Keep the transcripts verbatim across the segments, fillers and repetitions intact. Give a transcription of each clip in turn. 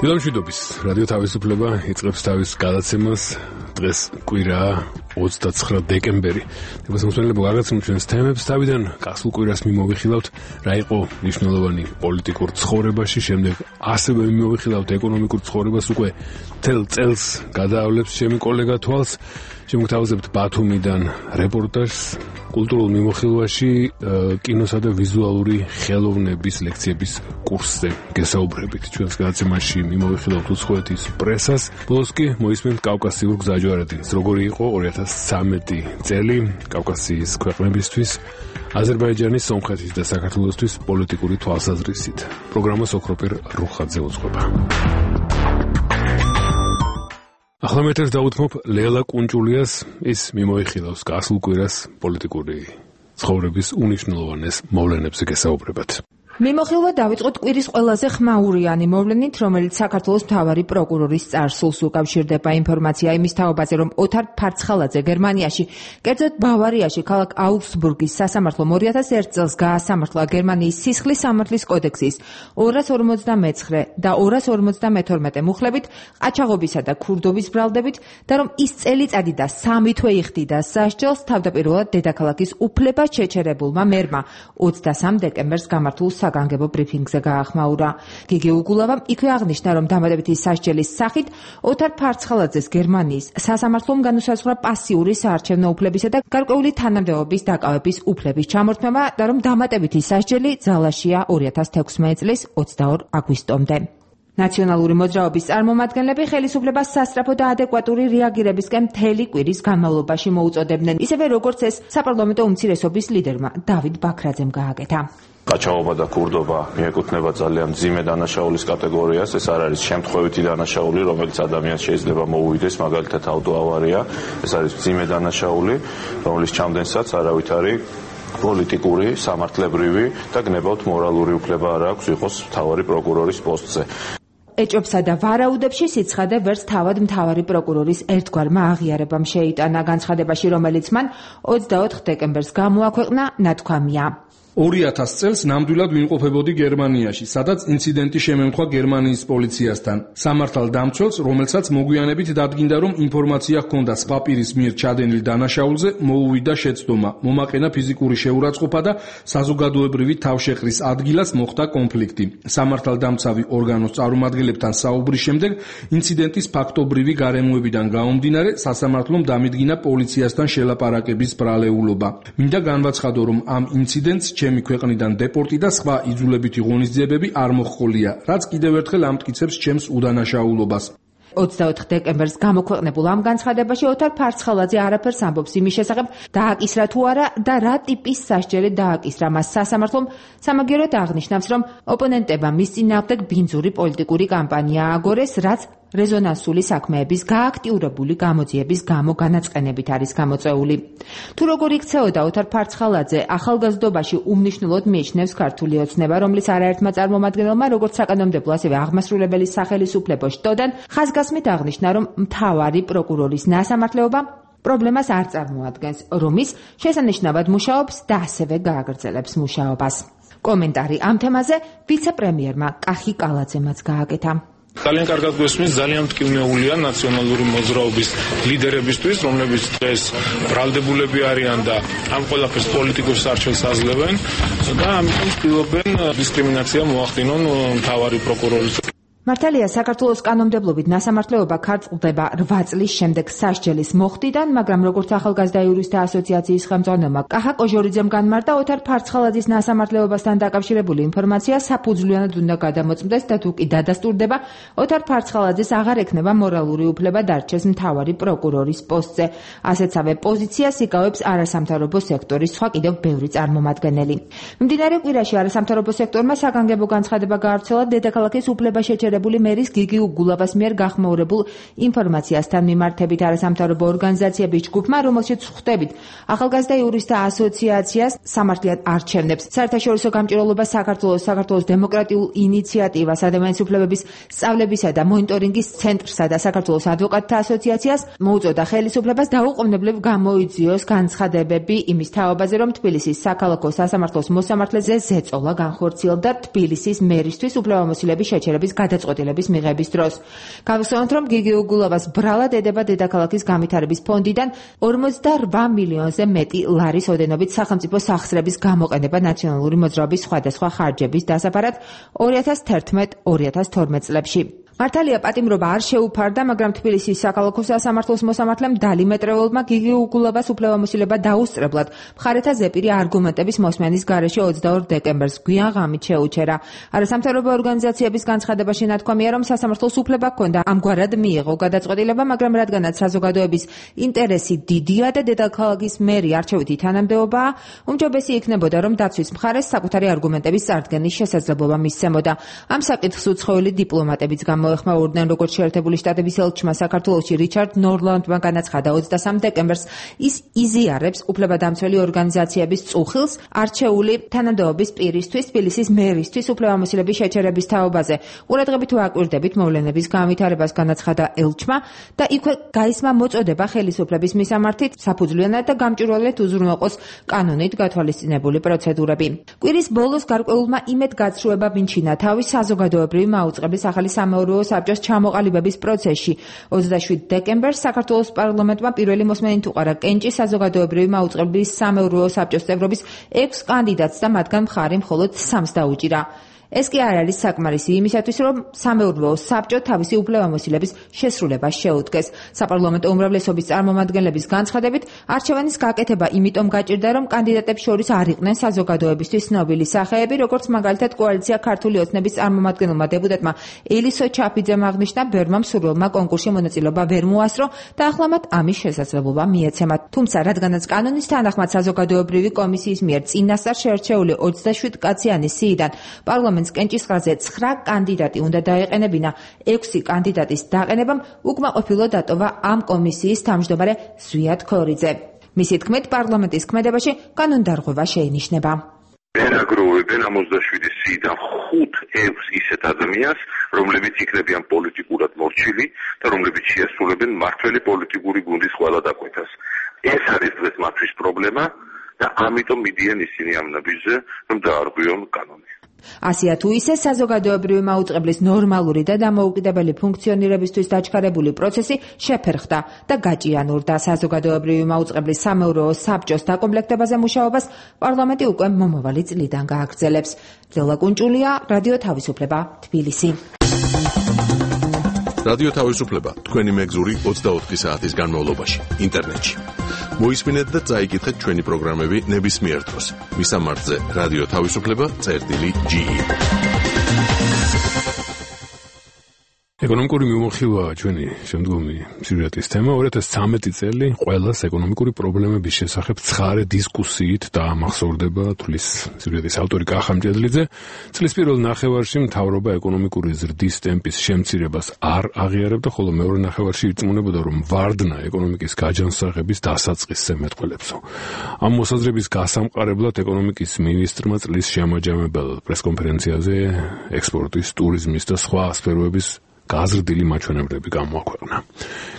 დილამშვიდობის რადიო თავისუფლება იწყებს თავის გადაცემას. დღეს კვირაა ოცდაცხრა დეკემბერი. ეხლა მოსმენელებო გადაცემთ ჩვენს თემებს. თავიდან გასულ კვირას მიმოვიხილავთ რა იყო მნიშვნელოვანი პოლიტიკურ ცხოვრებაში, შემდეგ ასევე მიმოვიხილავთ ეკონომიკურ ცხოვრებას. უკვე თელ წელს გადაავლებს ჩემი კოლეგა თვალს. შემოგთავაზებთ ბათუმიდან რეპორტაჟს კულტურულ მიმოხილვაში კინოსა და ვიზუალური ხელოვნების ლექციების კურსზე გესაუბრებით. ჩვენს გადაცემაში მიმოვიხილავთ უცხოეთის პრესას. ბოლოს კი მოისმენთ კავკასიურ გზაჯვარედინს. როგორი იყო ორი ათას ცხრამეტი წელი კავკასიის ქვეყნებისთვის, აზერბაიჯანის, სომხეთის და საქართველოსთვის პოლიტიკური თვალსაზრისით. პროგრამას ოქროპირ რუხაძე უძღვება. ახლა მეტერს დაუთმობ ლელა კუნჭულიას, ის მიმოიხილავს გასულ კვირას პოლიტიკური ცხოვრების უნიშნულოვანეს მოვლენებზე გესაუბრებათ. მიმოხილვა დავიწყოთ კვირის ყველაზე ხმაურიანი მოვლენით, რომელიც საქართველოს მთავარი პროკურორის წარსულს უკავშირდება. ინფორმაცია იმის თაობაზე, რომ ოთარ ფარცხალაძე გერმანიაში, კერძოდ ბავარიაში, ქალაქ აუგსბურგის სასამართლომ ორი ათას ერთ წელს გაასამართლა გერმანიის სისხლის სამართლის კოდექსის ორას ორმოცდამეცხრე და ორას ორმოცდამეთორმეტე მუხლებით, ყაჩაღობისა და ქურდობის ბრალდებით და რომ ის წელიწადი და სამი თვე იხდიდა სასჯელს თავდაპირველად დედაქალაქის უფლება შეჩერებულმა მერმა ოცდასამ დეკემბერს გამართულ საგანგებო ბრიფინგზე გაახმაურა. გიგი უგულავამ იქვე აღნიშნა, რომ დამატებითი სასჯელის სახით ოთარ ფარცხალაძეს გერმანიის სასამართლომ განუსაზღვრა პასიური საარჩევნო უფლებისა და გარკვეული თანამდებობის დაკავების უფლების ჩამორთმევა და რომ დამატებითი სასჯელი ძალაშია ორი ათას თექვსმეტი წლის ოცდაორი აგვისტომდე. ნაციონალური მოძრაობის წარმომადგენლები ხელისუფლებას სასწრაფო და ადეკვატური რეაგირებისკენ მთელი კვირის განმავლობაში მოუწოდებდნენ, ისევე როგორც ეს საპარლამენტო უმცირესობის ლიდერმა დავით ბაქრაძემ გააკეთა. ყაჩაღობა და ქურდობა მიეკუთვნება ძალიან მძიმე დანაშაულის კატეგორიას. ეს არ არის შემთხვევითი დანაშაული, რომელიც ადამიანს შეიძლება მოუვიდეს, მაგალითად ავტოავარია. ეს არის მძიმე დანაშაული, რომლის ჩამდენსაც არავით არის პოლიტიკური, სამართლებრივი და გნებავთ მორალური უფლება არ აქვს იყოს მთავარი პროკურორის პოსტზე. ეჭვებსა და ვარაუდებში სიცხადე ვერც თავად მთავარი პროკურორის ერთგვარმა აღიარებამ შეიტანა. განცხადებაში, რომელიც მან ოცდაოთხ დეკემბერს გამოაქვეყნა, ნათქვამია. ორი ათას წელს ნამდვილად ვიმყოფებოდი გერმანიაში, სადაც ინციდენტი შემემთხვა გერმანიის პოლიციასთან. სამართალდამცველს, რომელსაც მოგვიანებით დადგინდა, რომ ინფორმაცია ჰქონდა სპაპირის მიერ ჩადენილ დანაშაულზე, მოუვიდა შეცდომა, მომაყენა ფიზიკური შეურაცხყოფა და საზოგადოებრივი თავშეყრის ადგილას მოხდა კონფლიქტი. სამართალდამცავი ორგანოს წარმომადგენლებთან საუბრის შემდეგ, ინციდენტის ფაქტობრივი გარემოებიდან გამომდინარე, სასამართლომ დამიდგინა პოლიციასთან შელაპარაკების ბრალეულობა. მინდა განვაცხადო, რომ ამ ინციდენტს ჩემი ქვეყნიდან დეპორტი და სხვა იძულებითი ღონისძიებები არ მოჰყოლია, რაც კიდევ ერთხელ ამტკიცებს ჩემს უდანაშაულობას. ოცდაოთხ დეკემბერს გამოქვეყნებულ ამ განცხადებაში ოთარ ფარცხალაძე არაფერს ამბობს იმის შესახებ, დააკისრა თუ არა და რა ტიპის სასჯელი დააკისრა მას. სასამართლომ სამაგიეროდ აღნიშნავს, რომ ოპონენტებმა მის წინააღმდეგ ბინძური პოლიტიკური კამპანია ააგორეს, რაც რეზონანსული საქმეების გააქტიურებული გამოძიების გამო განაწყენებით არის გამოწვეული. თუ როგორ იქცეოდა ოთარ ფარცხალაძე ახალგაზრდობაში უმნიშვნელოდ მიიჩნევს ქართული ოცნება, რომლის არაერთმა წარმომადგენელმა როგორც საკანონმდებლო, ასევე აღმასრულებელი სახელისუფლებო შტოდან ხაზგასმით აღნიშნა, რომ მთავარი პროკურორის ნასამართლეობა პრობლემას არ წარმოადგენს, რომ ის შესანიშნავად მუშაობს და ასევე გააგრძელებს მუშაობას. კომენტარი ამ თემაზე ვიცე-პრემიერმა კახი კალაძემაც გააკეთა. ძალიან კარგად გვესმის, ძალიან მტკივნეულია ნაციონალური მოძრაობის ლიდერებისთვის, რომლებიც დღეს ბრალდებულები არიან და ამ ყველაფერს პოლიტიკურ სარჩელს აძლევენ და ამიტომ ცდილობენ დისკრიმინაცია მოახდინონ მთავარი პროკურორის. მართალია, საქართველოს კანონმდებლობით ნასამართლეობა ქართლდება რვა წლის შემდეგ სასჯელის მოხდიდან, მაგრამ როგორც ახალგაზრდა იურისტთა ასოციაციის ხელმძღვანელმა კახა კოჟორიძემ განმარტა, ოთარ ფარცხალაძის ნასამართლეობასთან დაკავშირებული ინფორმაცია საფუძვლიანად უნდა გადამოწმდეს და თუ კი დადასტურდება, ოთარ ფარცხალაძეს აღარ ექნება მორალური უფლება დარჩეს მთავარი პროკურორის პოსტზე. ასეთსავე პოზიციას იკავებს არასამთავრობო სექტორის სხვა კიდევ ბევრი წარმომადგენელი. მიმდინარე კვირაში არასამთავრობო სექტორმა საგანგებო განცხადება გაავრცელა დედაქალაქის უფლება შეჩერების მერის გიგი უგულავას მიერ გახმაურებულ ინფორმაციასთან მიმართებით. არასამთავრობო ორგანიზაციების ჯგუფმა, რომელშიც ხვდებით ახალგაზრდა იურისტთა ასოციაციას, სამართლიად არჩევნებს, საერთაშორისო გამჭირვალობას საქართველოს, საქართველოს დემოკრატიულ ინიციატივას, ადამიანის უფლებების სწავლებისა და მონიტორინგის ცენტრსა და საქართველოს ადვოკატთა ასოციაციას მოუწოდა ხელისუფლებას დაუყოვნებლივ გამოიძიოს განცხადებები იმის თაობაზე, რომ თბილისის საქალაქო სასამართლოს მოსამართლეზე ზეწოლა განხორციელდა თბილისის მერისთვის უფლებამოსილების შეჩერების გადაწყვეტილება გადაწყვეტილების მიღების დროს. Გავიხსენოთ, რომ გიგი უგულავას ბრალად ედება დედაქალაქის განვითარების ფონდიდან ორმოცდარვა მილიონზე მეტი ლარის ოდენობით სახელმწიფო სახსრების გამოყენება ნაციონალური მოძრაობის სხვადასხვა ხარჯების დასაფარად ორი ათას თერთმეტ ორი ათას თორმეტ წლებში. მართალია პატიმრობა არ შეუფარდა, მაგრამ თბილისის საქალაქო სასამართლოს მოსამართლემ დალი მეტრეულმა გიგი უგულავას უფლებამოსილება დაუსწრებლად მხარეთა ზეპირი არგუმენტების მოსმენის გარეშე ოცდაორ დეკემბერს გვიან ღამით შეუჩერა. არასამთავრობო ორგანიზაციების განცხადებაში ნათქვამია, რომ სასამართლოს უფლება ჰქონდა ამგვარად მიიღო გადაწყვეტილება, მაგრამ რადგანაც საზოგადოების ინტერესი დიდია და დედაქალაქის მერი არჩევითი თანამდებობაა, უმჯობესი იქნებოდა, რომ დაცვის მხარეს საკუთარი არგუმენტების წარდგენის შესაძლებლობა მისცემოდა. ამ საკითხს უცხოელი დიპლომატებიც გამოეხმაურდნენ, როგორც შეერთებული შტატების ელჩმა საქართველოში რიჩარდ ნორლანდმა განაცხადა ოცდასამ დეკემბერს, ის იზიარებს უფლებადამცველი ორგანიზაციების წუხილს არჩეული თანამდებობის პირისთვის, თბილისის მერისთვის უფლებამოსილების შეჩერების თაობაზე. ყურადღებით ვაკვირდებით მოვლენების განვითარებას, განაცხადა ელჩმა და იქვე გაისმა მოწოდება ხელისუფლების მისამართით საფუძვლიანად და გამჭვირვალედ უზრუნველყოს კანონით გათვალისწინებული პროცედურები. კვირის ბოლოს გარკვეულმა იმედგაცრუება მიჩინა თავის საზოგადოებრივი მაუწყებლის ახალი სამეურვეო საბჭოს ჩამოყალიბების პროცესში. ოცდაშვიდ დეკემბერს საქართველოს პარლამენტმა პირველი მოსმენით უყარა კენჭის საზოგადოებრივი მაუწყებლობის სამეურვეო საბჭოს წევრობის ექვს კანდიდატს და მათგან მხარი მხოლოდ სამს დაუჭირა. ეს კი არ არის საკმარისი იმისათვის, რომ სამეურვეო საბჭო თავისი უფლებამოსილების შესრულებას შეუდგეს. საპარლამენტო უმრავლესობის წარმომადგენლების განცხადებით, არჩევანის გაკეთება იმიტომ გაჭირდა, რომ კანდიდატებს შორის არ იყვნენ საზოგადოებისთვის ცნობილი სახეები, როგორც მაგალითად კოალიცია ქართული ოცნების წარმომადგენელმა დეპუტატმა ელისო ჩაფიძემ აღნიშნა, ბევრმა მსურველმა კონკურსში მონაწილეობა ვერ მოასწრო და ახლა მათ ამის შესაძლებლობა მიეცემათ. თუმცა, რადგანაც კანონის თანახმად საზოგადოებრივი კომისიის მიერ წინასწარ შერჩეული ოცდაშვიდ კაციანი სიიდან პარლამენტ კენჭისყრაზე ცხრა კანდიდატი უნდა დაეყენებინა, ექვსი კანდიდატის დაყენებამ უკმაყოფილო დატოვა ამ კომისიის თავმჯდომარე ზვიად ქორიძე. მისი თქმით, პარლამენტის ქმედებაში კანონდარღვევა შეინიშნება. ერაგროვებენ ამ ოცდაშვიდი სიიდან ხუთ ექვს ისეთ ადამიანს, რომლებიც იქნებიან პოლიტიკურად მორჩილი და რომლებიც შეასრულებენ მართველი პოლიტიკური გუნდის ყველა დაკვეთას. ეს არის დღეს მათთვის პრობლემა და ამიტომ მიდიან ისინი ამ ნაბიჯზე, რომ დაარღვიონ კანონი. ასია თუ ისე საზოგადოებრივი მაუწყებლის ნორმალური და დამოუკიდებელი ფუნქციონირებისთვის დაჩქარებული პროცესი შეფერხდა და გაჭიანურდა. საზოგადოებრივი მაუწყებლის სამეურვეო საბჭოს დაკომპლექტებაზე მუშაობას პარლამენტი უკვე მომავალი წლიდან გააგრძელებს. ძელა კუნჭულია, რადიო თავისუფლება, თბილისი. რადიო თავისუფლება თქვენი მეგზური ოცდაოთხი საათის განმავლობაში ინტერნეტში. მოისმინეთ და წაიკითხეთ ჩვენი პროგრამები ნებისმიერ დროს. მისამართზე რადიო თავისუფლება წერტილი ჯი. ეკონომიკური მიმოხილვაა ჩვენი შემდგომი სიუჟეტის თემა. ორი ათას ცხრამეტი წელი ყველას ეკონომიკური პრობლემების შესახებ ცხარე დისკუსიით დაამახსოვრდება, თulis სიუჟეტის ავტორი კახა მჭედლიძე. წლის პირველ ნახევარში მთავრობა ეკონომიკური ზრდის ტემპის შემცირებას არ აღიარებდა, ხოლო მეორე ნახევარში ირწმუნებოდა, რომ ვარდნა ეკონომიკის გაჯანსაღების დასაწყისზე მეტყველებსო. ამ მოსაზრების გასამყარებლად ეკონომიკის მინისტრმა წლის შემაჯამებელ პრესკონფერენციაზე ექსპორტის, ტურიზმის და სხვა სფეროების გაზრდილი მაჩვენებლები გამოაქვეყნა.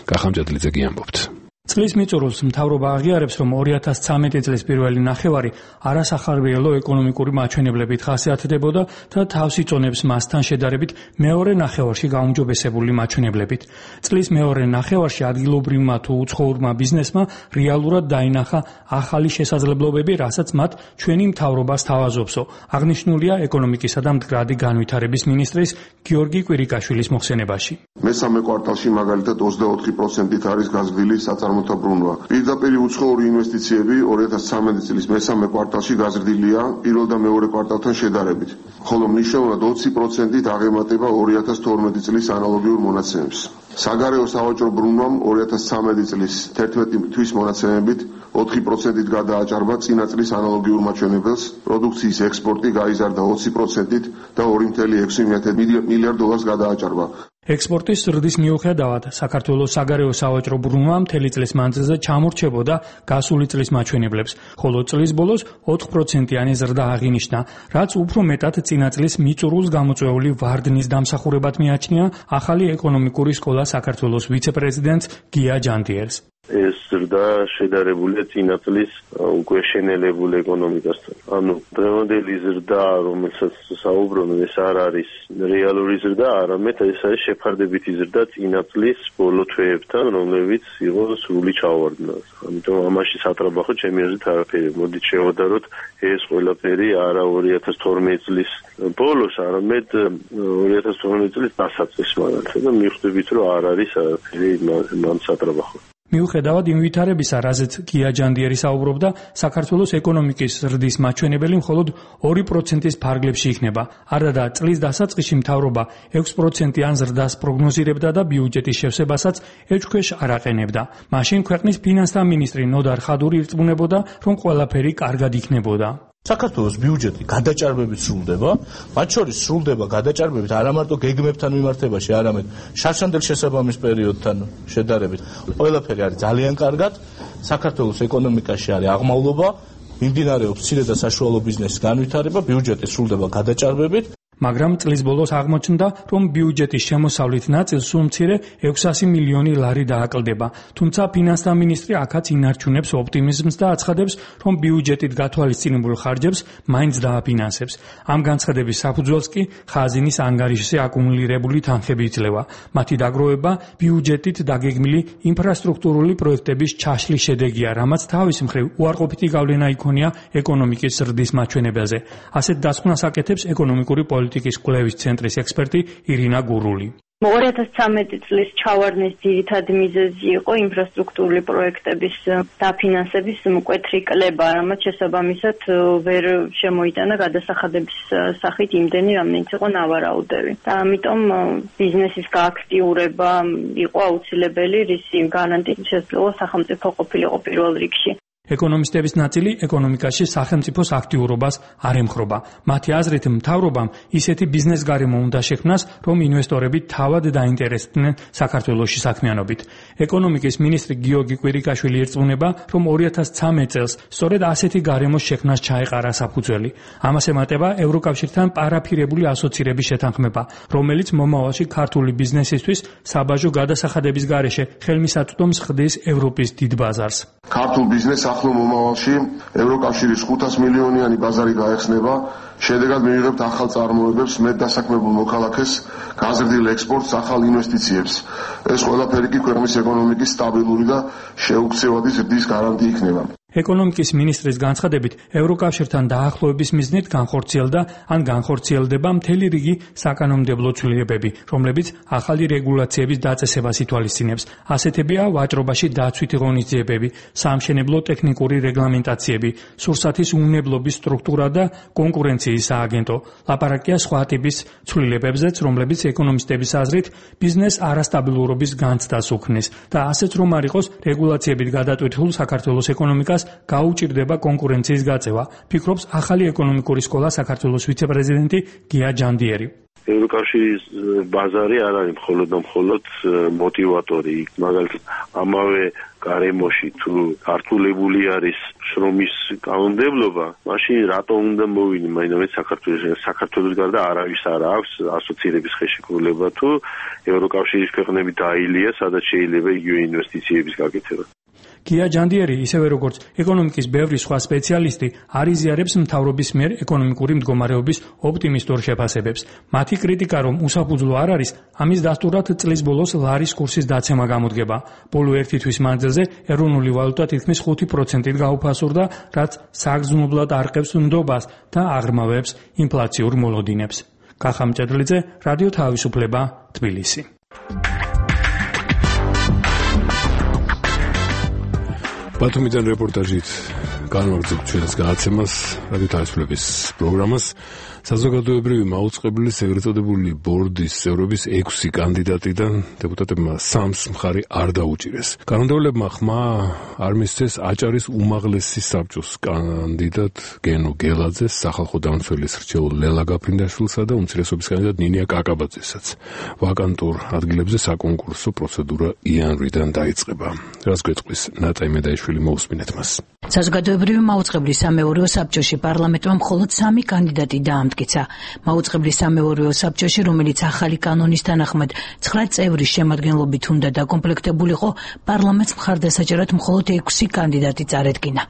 კახა მჭედლიძე გიამბობთ. წლის მიწურულს მთავრობა აღიარებს, რომ ორი ათას ცხრამეტი წლის პირველი ნახევარი არასახარბიელო ეკონომიკური მაჩვენებლებით ხასიათდებოდა და თავს იწონებს მასთან შედარებით მეორე ნახევარში გაუმჯობესებული მაჩვენებლებით. წლის მეორე ნახევარში ადგილობრივმა თუ უცხოურმა ბიზნესმა რეალურად დაინახა ახალი შესაძლებლობები, რასაც მათ ჩვენი მთავრობა სთავაზობსო. აღნიშნულია ეკონომიკისა და მდგრადი განვითარების მინისტრის გიორგი კვირიკაშვილის მოხსენებაში. მესამე კვარტალში მაგალითად ოცდაოთხი პროცენტით არის გაზრდილი საწარმოთა ბრუნვა. პირდაპირ უცხოური ინვესტიციები ორი ათას ცხრამეტი წლის მესამე კვარტალში გაზრდილია პირველ და მეორე კვარტალთან შედარებით, ხოლო მნიშვნელოვნად ოცი პროცენტით აღემატება ორი ათას თორმეტი წლის ანალოგიურ მონაცემებს. საგარეო სავაჭრო ბრუნვამ ორი ათას ცხრამეტი წლის თერთმეტი თვის მონაცემებით ოთხი პროცენტით გადააჭარბა წინა წლის ანალოგიურ მაჩვენებელს, პროდუქციის ექსპორტი გაიზარდა ოცი პროცენტით და ორი წელი ექვსი მილიარდ დოლარს გადააჭარბა. ექსპორტის ზრდის მიუხედავად, საქართველოს საგარეო სავაჭრო ბრუნვა მთელი წლის მანძილზე ჩამორჩებოდა გასული წლის მაჩვენებლებს, ხოლო წლის ბოლოს ოთხ პროცენტიანი ზრდა აღინიშნა, რაც უფრო მეტად წინა წლის მიწურულს გამოწვეული ვარდნის დამსახურებად მიაჩნია ახალი ეკონომიკური სკოლა საქართველოს ვიცე-პრეზიდენტს გია ჯანდიერს. ეს ზრდა შედარებულია წინა წლის უკვე შენელებულ ეკონომიკასთან. ანუ დღევანდელი ზრდა, რომელსაც საუბრობენ, ეს არ არის რეალური ზრდა, არამედ ეს არის შეფარდებითი ზრდა წინა წლის ბოლო თვეებთან, რომლებიც იყო სრული ჩავარდნა. ამიტომ ამაში სატრაბახო ჩემი აზრით არაფერი. მოდით შევადაროთ ეს ყველაფერი არა ორი ათას თორმეტი წლის ბოლოს, არამედ ორი ათას თორმეტი წლის დასაწყისს მაგალითად და მივხვდებით, რომ არ არის არაფერი მან სატრაბახო. მიუხედავად იმ ვითარებისა, რაზეც გია ჯანდიერი საუბრობდა, საქართველოს ეკონომიკის ზრდის მაჩვენებელი მხოლოდ ორი პროცენტის ფარგლებში იქნება. არადა წლის დასაწყისში მთავრობა ექვსი პროცენტიან ზრდას პროგნოზირებდა და ბიუჯეტის შევსებასაც ეჭვქვეშ არ აყენებდა. მაშინ ქვეყნის ფინანსთა მინისტრი ნოდარ ხადური ირწმუნებოდა, რომ ყველაფერი კარგად იქნებოდა. საქართველოს ბიუჯეტი გადაჭარბებით სრულდება, მათ შორის სრულდება გადაჭარბებით არა მარტო გეგმებთან მიმართებაში, არამედ შარშანდელ შესაბამის პერიოდთან შედარებით. ყველაფერი არის ძალიან კარგად, საქართველოს ეკონომიკაში არის აღმავლობა, მიმდინარეობს მცირე და საშუალო ბიზნესის განვითარება, ბიუჯეტი სრულდება გადაჭარბებით. მაგრამ წლის ბოლოს აღმოჩნდა, რომ ბიუჯეტის შემოსავლით ნაწილს სულ მცირე ექვსასი მილიონი ლარი დააკლდება. თუმცა ფინანსთა მინისტრი აქაც ინარჩუნებს ოპტიმიზმს და აცხადებს, რომ ბიუჯეტით გათვალისწინებულ ხარჯებს მაინც დააფინანსებს. ამ განცხადების საფუძველს კი ხაზინის ანგარიშზე აკუმულირებული თანხები იძლევა. მათი დაგროვება ბიუჯეტით დაგეგმილი ინფრასტრუქტურული პროექტების ჩაშლის შედეგია, რამაც თავის მხრივ უარყოფითი გავლენა იქონია ეკონომიკის ზრდის მაჩვენებელზე. ასეთ დასკვნას აკეთებს ეკონომიკური პოლიტიკის კვლევის ცენტრის ექსპერტი ირინა გურული. ორი ათას ცხრამეტი წლის ჩავარდნის ძირითადი მიზეზი იყო ინფრასტრუქტურული პროექტების დაფინანსების მკვეთრი კლება, რამაც შესაბამისად ვერ შემოიტანა გადასახადების სახით იმდენი, რამდენიც იყო ნავარაუდები. და ამიტომ ბიზნესის გააქტიურება იყო აუცილებელი, რისი გარანტიით შესაძლოა სახელმწიფო ყოფილიყო პირველ რიგში. ეკონომისტების ნაწილი ეკონომიკაში სახელმწიფოს აქტიურობას არ ემხრობა. მათი აზრით, მთავრობამ ისეთი ბიზნეს გარემო უნდა შექმნას, რომ ინვესტორები თავად დაინტერესდნენ საქართველოში საქმიანობით. ეკონომიკის მინისტრი გიორგი კვირიკაშვილი ირწმუნება, რომ ორი ათას ცხრამეტ წელს სწორედ ასეთი გარემოს შექმნას ჩაეყარა საფუძველი. ამას ემატება ევროკავშირთან პარაფირებული ასოცირების შეთანხმება, რომელიც მომავალში ქართული ბიზნესისთვის საბაჟო გადასახადების გარეშე ხელმისაწვდომს ხდის ევროპის დიდ ბაზარს. ქართულ ბიზნესს ახლო მომავალში ევროკავშირის ხუთას მილიონიანი ბაზარი გაეხსნება, შედეგად მივიღებთ ახალ წარმოებებს, მეტ დასაქმებულ მოქალაქეს, გაზრდილ ექსპორტს, ახალ ინვესტიციებს. ეს ყველაფერი კი ქვეყნის ეკონომიკის სტაბილური და შეუქცევადი ზრდის გარანტი იქნება. ეკონომიკის მინისტრის განცხადებით, ევროკავშირთან დაახლოების მიზნით განხორციელდა ან განხორციელდება მთელი რიგი საკანონმდებლო ცვლილებები, რომლებიც ახალი რეგულაციების დაწესებას ითვალისწინებს. ასეთებია ვაჭრობაში დაცვითი ღონისძიებები, საამშენებლო ტექნიკური რეგლამენტაციები, სურსათის უნებლობის სტრუქტურა და კონკურენციის სააგენტო. ლაპარაკია სხვა ტიპის ცვლილებებზეც, რომლებიც ეკონომისტების აზრით ბიზნეს არასტაბილურობის განცდას უქმნის და ასეც რომ არ იყოს რეგულაციებით გადატვირთულ საქართველოს ეკონომიკას გაუჭირდება კონკურენციის გაწევა, ფიქრობს ახალი ეკონომიკური სკოლა საქართველოს ვიცე-პრეზიდენტი გია ჯანდიერი. ევროკავშირის ბაზარი არ არის მხოლოდ და მხოლოდ მოტივატორი, მაგალითად ამავე გარემოში თუ ართულებული არის შრომის კანონმდებლობა, მაშინ რატომ უნდა მოვინი მაინც საქართველოს საქართველოს გარდა არავის არ აქვს ასოცირების ხელშეკრულება თუ ევროკავშირის ქვეყნები დაილია, სადაც შეიძლება იგივე ინვესტიციების გაკეთება. გია ჯანდიერი, ისევე როგორც ეკონომიკის ბევრი სხვა სპეციალისტი, არ იზიარებს მთავრობის მიერ ეკონომიკური მდგომარეობის ოპტიმისტურ შეფასებებს. მათი კრიტიკა, რომ უსაფუძვლო არ არის, ამის დასტურად წლის ბოლოს ლარის კურსის დაცემა გამოდგება. ბოლო ერთი თვის მანძილზე ეროვნული ვალუტა თითქმის ხუთი პროცენტით გაუფასურდა, რაც საგრძნობლად არყევს ნდობას და აღრმავებს ინფლაციურ მოლოდინებს. კახა მჭედლიძე, რადიო თავისუფლება, თბილისი. ბათუმიდან რეპორტაჟით განვაგრძობთ ჩვენს გადაცემას, რადიო თავისუფლების პროგრამას. საზოგადოებრივი მაუწყებლის ეგრეთ წოდებული ბორდის წევრების ექვსი კანდიდატიდან დეპუტატებმა სამს მხარი არ დაუჭირეს. კანონმდებლებმა ხმა არ მისცეს აჭარის უმაღლესი საბჭოს კანდიდატ გენო გელაძეს, სახალხო დამცველის რჩეულ ლელა გაფრინდაშვილსა და უმცირესობის კანდიდატ ნინია კაკაბაძესაც. ვაკანტურ ადგილებზე საკონკურსო პროცედურა იანვრიდან დაიწყება. რას გვეწყვის ნატაი მედაიშვილი, მოусმინეთ მას. საზოგადოებრივი მაუწყებლის სამეურვეო საბჭოში პარლამენტმა მხოლოდ სამი კანდიდატი დაამტკიცა. მაუწყებლის სამეურვეო საბჭოში, რომელიც ახალი კანონის თანახმად ცხრა წევრის შემადგენლობით უნდა დაკომპლექტებულიყო, პარლამენტს მხარდასაჭერად მხოლოდ ექვსი კანდიდატი წარედგინა.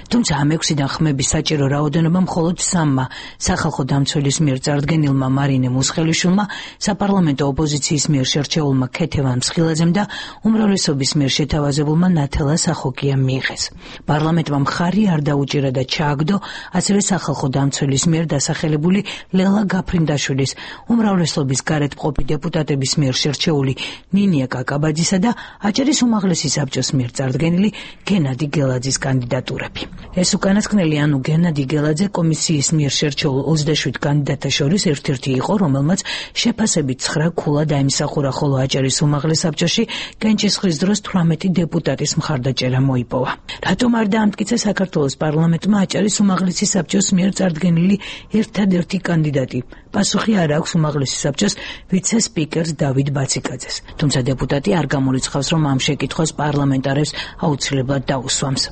თუმცა ამ ექვსიდან ხმების საჭირო რაოდენობა მხოლოდ სამმა სახალხო დამცველის მიერ წარდგენილმა მარინე მუსხელიშვილმა, საპარლამენტო ოპოზიციის მიერ შერჩეულმა ქეთევან მსხილაძემ და უმრავლესობის მიერ შეთავაზებულმა ნათელა სახოკიამ მიიღეს. პარლამენტმა მხარი არ დაუჭირა და ჩააგდო ასევე სახალხო დამცველის მიერ დასახელებული ლელა გაფრინდაშვილის, უმრავლესობის გარეთ მყოფი დეპუტატების მიერ შერჩეული ნინია კაკაბაძისა და აჭარის უმაღლესი საბჭოს მიერ წარდგენილი გენადი გელაძის კანდიდატურები. ეს უკანასკნელი, ანუ გენადი გელაძე, კომისიის მიერ შერჩეულ ოცდაშვიდ კანდიდატთა შორის ერთ-ერთი იყო, რომელმაც შეფასებით ცხრა ქულა დაიმსახურა, ხოლო აჭარის უმაღლეს საბჭოში კენჭისყრის დროს თვრამეტი დეპუტატის მხარდაჭერა მოიპოვა. რატომ არ დაამტკიცა საქართველოს პარლამენტმა აჭარის უმაღლესი საბჭოს მიერ წარდგენილი ერთადერთი კანდიდატი? პასუხი არ აქვს უმაღლესი საბჭოს ვიცე-სპიკერს დავით ბაციკაძეს. თუმცა დეპუტატი არ გამორიცხავს, რომ ამ შეკითხვას პარლამენტარებს აუცილებლად დაუსვამს.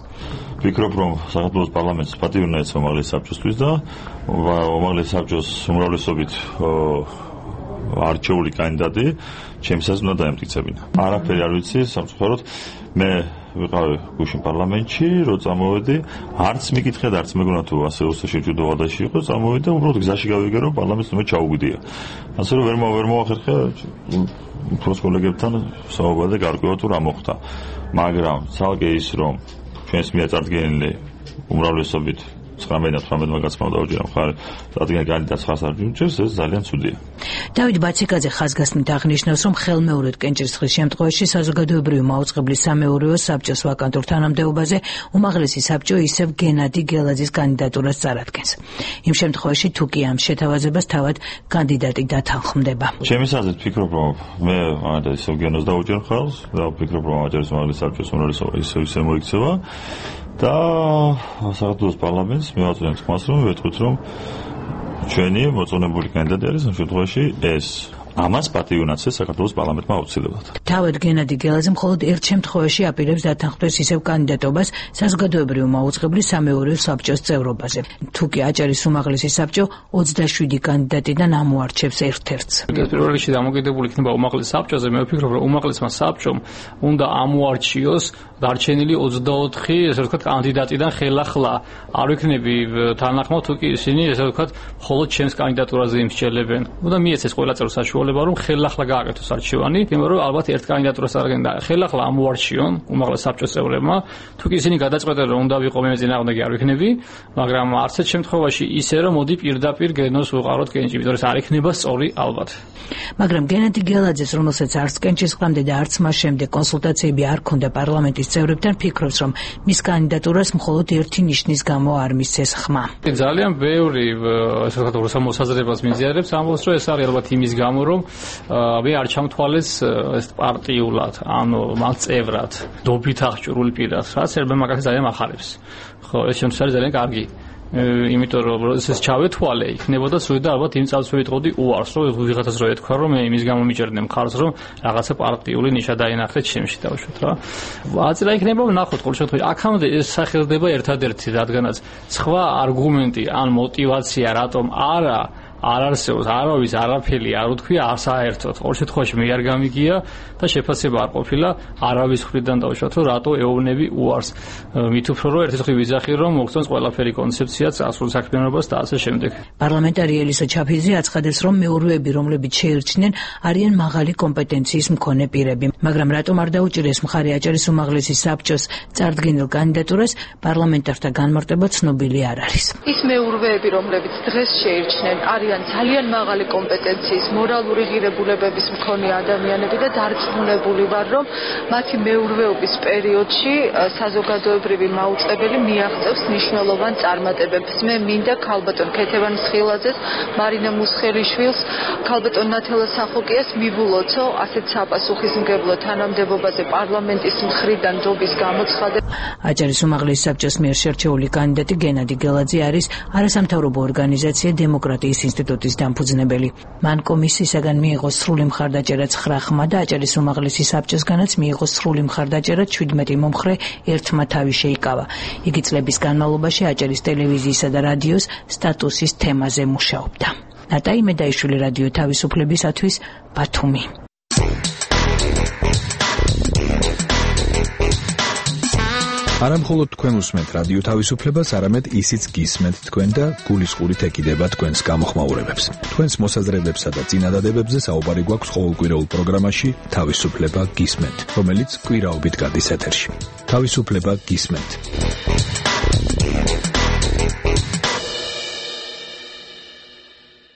ვფიქრობ, რომ საქართველოს პარლამენტს პატივი უნდა ეცვა უმაღლესი საბჭოსთვის და უმაღლესი საბჭოს უმრავლესობით არჩეული კანდიდატი ჩემსაც უნდა დაემტკიცებინა. არაფერი არ ვიცი, სამწუხაროდ მე ვიყავი გუშინ პარლამენტში, რო წამოვედი, არც მიკითხე და არც მეგონა თუ ასე უსაში ჯუდოვადაში იყო, წამოვედი და უბრალოდ გზაში გავიგე, რომ პარლამენტს უნდა ჩაუგვიდია. ასე რომ ვერ ვერ მოახერხე უფროს კოლეგებთან საუბარი და გარკვევა თუ რა მოხდა. მაგრამ ცალკე ის, რომ ჩვენს მიერ წარდგენილი უმრავლესობით ცხრამეტ თვრამეტმა კაცმა დაუჭირა მხარი წარდგენილ კანდიდატს ხარს არ მიუჭერს, ეს ძალიან ცუდია. დავით ბაციკაძე ხაზგასმით აღნიშნავს, რომ ხელმეორედ კენჭისყრის შემთხვევაში საზოგადოებრივი მაუწყებლის სამეურვეო საბჭოს ვაკანტურ თანამდებობაზე უმაღლესი საბჭო ისევ გენადი გელაძის კანდიდატურას წარადგენს. იმ შემთხვევაში თუ კი ამ შეთავაზებას თავად კანდიდატი დათანხმდება. ჩემი აზრით ვფიქრობ, რომ მე ამიტომ ისევ გენოს დაუჭერ ხალხს და ვფიქრობ, რომ აჭარის უმაღლესი საბჭოს უმრავლესობა ისევ ისე მოიქცევა. და საქართველოს პარლამენტს მევაწვდენ თქმას, რომ ვეთქვით, რომ ჩვენი მოწონებული კანდიდატი არის ამ შემთხვევაში ეს. ამას პატივი უნდა ეცეს საქართველოს პარლამენტმა აუცილებლად. თავად გენადი გელაძე მხოლოდ ერთ შემთხვევაში აპირებს დათანხმდეს ისევ კანდიდატობას საზოგადოებრივი მაუწყებლის სამეურვეო საბჭოს წევრობაზე. თუ კი აჭარის უმაღლესი საბჭო ოცდაშვიდი კანდიდატიდან ამოარჩევს ერთ-ერთს. პირველ რიგში დამოკიდებული იქნება უმაღლეს საბჭოზე, მე ვფიქრობ, რომ უმაღლესმა საბჭომ უნდა ამოარჩიოს დარჩენილი ოცდაოთხი, ესე ვთქვათ, კანდიდატიდან ხელახლა. არ ვიქნები თანახმად, თუ კი ისინი, ესე ვთქვათ, მხოლოდ ჩემს კანდიდატურაზე იმსჯელებენ. უნდა მიეცეს ყველა წევრ საშუალება, რომ ხელახლა გააკეთოს არჩევანი, იმიტომ რომ ალბათ ერთ კანდიდატურას წარდგენ და ხელახლა ამოარჩიონ უმაღლეს საბჭოს წევრებმა. თუ კი ისინი გადაწყვეტენ, რომ უნდა ვიყო მე წინააღმდეგი, არ ვიქნები, მაგრამ არც ერთ შემთხვევაში ისე, რომ მოდი პირდაპირ გენოს ვუყაროთ კენჭი, იმიტომ რომ ეს არ იქნება სწორი ალბათ. მაგრამ გენადი გელაძეს, რომელსაც არც კენჭისყრამდე და არც მას შემდეგ კონსულტაციები არ ჰქონდა პარლამენტის წევრებთან, ფიქრობს, რომ მის კანდიდატურას მხოლოდ ერთი ნიშნის გამო არ მისცეს ხმა. ძალიან ბევრი ესე ვთქვათ, მოსაზრებას მიზიარებს, ამბობს, რომ ეს არის ალბათ იმის გამო, რომ მე არ ჩამთვალეს ეს პარტიულად, ანუ მან წევრად, დობით აღჭურვილი პირად, რაც ერბე მაგას ძალიან ახარებს. ხო, ეს შემთხვევა არის ძალიან კარგი. იმიტომ რომ ეს ჩავეთვალე, იქნებოდა სულ და ალბათ იმ წელს ვიტყოდი უარს, რომ ვიღაცას რო ეთქვა, რომ მე იმის გამო მიჭერდნენ მხარს, რომ რაღაცა პარტიული ნიშა დაინახეთ ჩემში დავუშვათ რა. აწირა იქნება ვნახოთ ყოველ შემთხვევაში. აქამდე ეს სახელდება ერთადერთი, რადგანაც სხვა არგუმენტი ან мотиваცია რატომ არა არ არსებობს, არავის არაფერი არ უთქვია საერთოდ. ყოველ შემთხვევაში მე არ გამიგია და შეფასება არ ყოფილა არავის მხრიდან დავუშვათ, რომ რატო ეუბნები უარს. მით უფრო რომ ერთი მხრივ ვიზახი, რომ მოგწონს ყველაფერი კონცეფციაც, ასულ საქმიანობას და ასე შემდეგ. პარლამენტარი ელისა ჩაფიძე აცხადებს, რომ მეურვეები, რომლებიც შეირჩნენ, არიან მაღალი კომპეტენციის მქონე პირები, მაგრამ რატომ არ დაუჭირეს მხარი აჭარის უმაღლესი საბჭოს წარდგენილ კანდიდატურას, პარლამენტართა განმარტება ცნობილი არ არის. ის მეურვეები, რომლებიც დღეს შეირჩნენ, არიან ძალიან მაღალი კომპეტენციის, მორალური ღირებულებების მქონე ადამიანები და დარწმუნებული ვარ, რომ მათი მეურვეობის პერიოდში საზოგადოებრივი მაუწყებელი მიაღწევს მნიშვნელოვან წარმატებებს. მე მინდა ქალბატონ ქეთევან მსხილაძეს, მარინა მუსხელიშვილს, ქალბატონ ნათელა სახოკიას მივულოცო ასეთ საპასუხისმგებლო თანამდებობაზე პარლამენტის მხრიდან ჯობის გამოცხადება. აჭარის უმაღლესი საბჭოს მიერ შერჩეული კანდიდატი გენადი გელაძე არის არასამთავრობო ორგანიზაცია დემოკრატიის ინსტიტუტის დამფუძნებელი. მან კომისიისაგან მიიღო სრული მხარდაჭერა ცხრა ხმა და აჭარის უმაღლესი საბჭოსგანაც მიიღო სრული მხარდაჭერა შვიდმეტი მომხრე ერთმა თავი შეიკავა. იგი წლების განმავლობაში აჭარის ტელევიზიისა და რადიოს სტატუსის თემაზე მუშაობდა. ნატაი მედაიშვილი, რადიო თავისუფლებისათვის, ბათუმი. არა მხოლოდ თქვენ უსმენთ რადიო თავისუფლებას, არამედ ისიც გისმენთ თქვენ და გულისყურით ეკიდება თქვენს გამოხმაურებებს. თქვენს მოსაზრებებსა და წინადადებებზე საუბარი გვაქვს ყოველკვირეულ პროგრამაში თავისუფლება გისმენთ, რომელიც კვირაობით გადის ეთერში. თავისუფლება გისმენთ.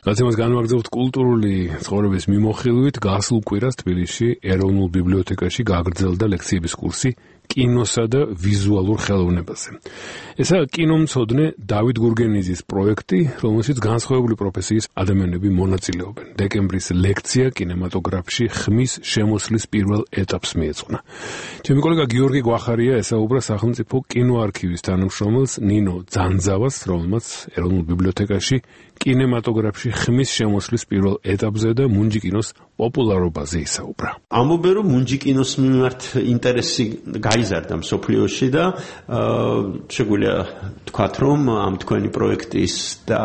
რადგან განვაგრძობთ კულტურული ცხოვრების მიმოხილვით, გასულ კვირას თბილისში ეროვნულ ბიბლიოთეკაში გაგრძელდა ლექციების კურსი კინოსა და ვიზუალურ ხელოვნებაზე. ესაა კინომცოდნე დავით გურგენიძის პროექტი, რომელშიც განსხვავებული პროფესიის ადამიანები მონაწილეობენ. დეკემბრის ლექცია კინემატოგრაფში ხმის შემოსლის პირველ ეტაპს მიეძღვნა. ჩემი კოლეგა გიორგი გვახარია ესაუბრა სახელმწიფო კინოარქივის თანამშრომელს ნინო ძანძავას, რომელმაც ეროვნულ ბიბლიოთეკაში კინემატოგრაფში ხმის შემოსლის პირველ ეტაპზე და მუნჯი კინოს პოპულარობაზე ისაუბრა. ამობენ რომ მუნჯი კინოს მიმართ ინტერესი გაიზარდა მსოფლიოში და შეგვიძლია თქვათ რომ ამ თქვენი პროექტის და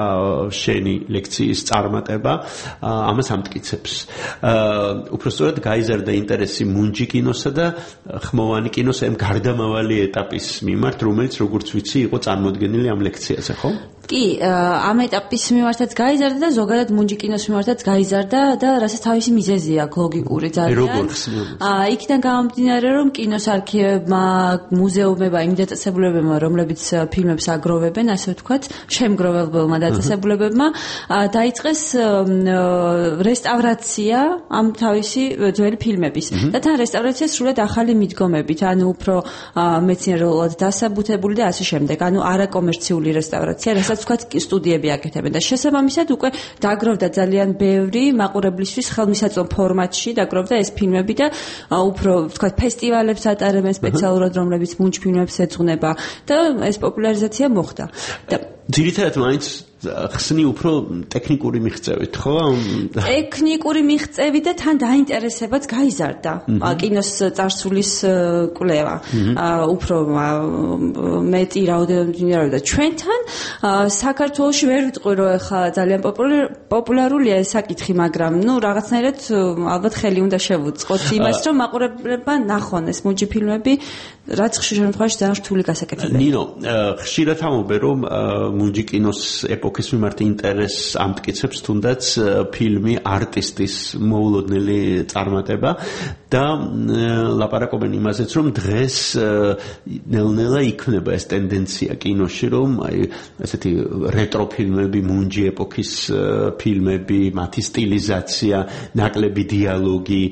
შენი ლექციის წარმატება ამას ამტკიცებს. უпростоრად გაიზარდა ინტერესი მუნჯი კინოსა და ხმოვანი კინოს ამ გარდამავალი ეტაპის მიმართ, რომელიც როგორც ვიცი იყო წარმოდგენილი ამ ლექციაზე, ხო? კი, ამ ეტაპის მიმართაც გაიზარდა და ზოგადად მუნჯი კინოს მიმართაც გაიზარდა და რასაც თავისი მიზეზი აქვს ლოგიკური ძალიან. აა იქიდან გამომდინარე რომ კინოს არქივებმა, მუზეუმებმა, იმ დაწესებულებებმა, რომლებიც ფილმებს აგროვებენ, ასე ვთქვათ, შემგროველებმა დაწესებულებებმა დაიწყეს რესტავრაცია ამ თავისი ძველი ფილმების. და თან რესტავრაცია სრულად ახალი მიდგომებით, ანუ უფრო მეცნიერულად დასაბუთებული და ასე შემდეგ. ანუ არაკომერციული რესტავრაცია, რასაც ვთქვათ, სტუდიები აკეთებენ და შესაბამისად უკვე დაგროვდა ძალიან ბევრი მაყურებლისთვის ხელმისაწვდომ ფორმატში დაგროვდა ეს ფილმები და უფრო ვთქვათ ფესტივალებს ატარებენ სპეციალურად, რომლებიც მუნჯ ფილმებს ეძღვნება და ეს პოპულარიზაცია მოხდა. და ძირითადად მაინც ხსნი უფრო ტექნიკური მიღწევით, ხო? ტექნიკური მიღწევით და თან დაინტერესებაც გაიზარდა კინოს წარსულის კვლევა. უფრო მეტი რაოდენობით და ჩვენთან საქართველოში ვერ ვიტყვი რომ ეხლა ძალიან პოპულარულია ეს საკითხი, მაგრამ ნუ რაღაცნაირად ალბათ ხელი უნდა შევუწყოთ იმას, რომ მაყურებლებმა ნახონ ეს მუნჯი ფილმები, რაც ხშირ შემთხვევაში ძალიან რთული გასაკეთებია. ნინო, ხშირად ამობენ რომ მუნჯი კინოს ეპოქის მიმართ ინტერესს ამტკიცებს თუნდაც ფილმი არტისტის მოულოდნელი წარმატება და ლაპარაკობენ იმაზეც რომ დღეს ნელ-ნელა იქნება ეს ტენდენცია კინოში რომ აი ესეთი რეტრო ფილმები, მუნჯი ეპოქის ფილმები, მათი სტილიზაცია, ნაკლები დიალოგი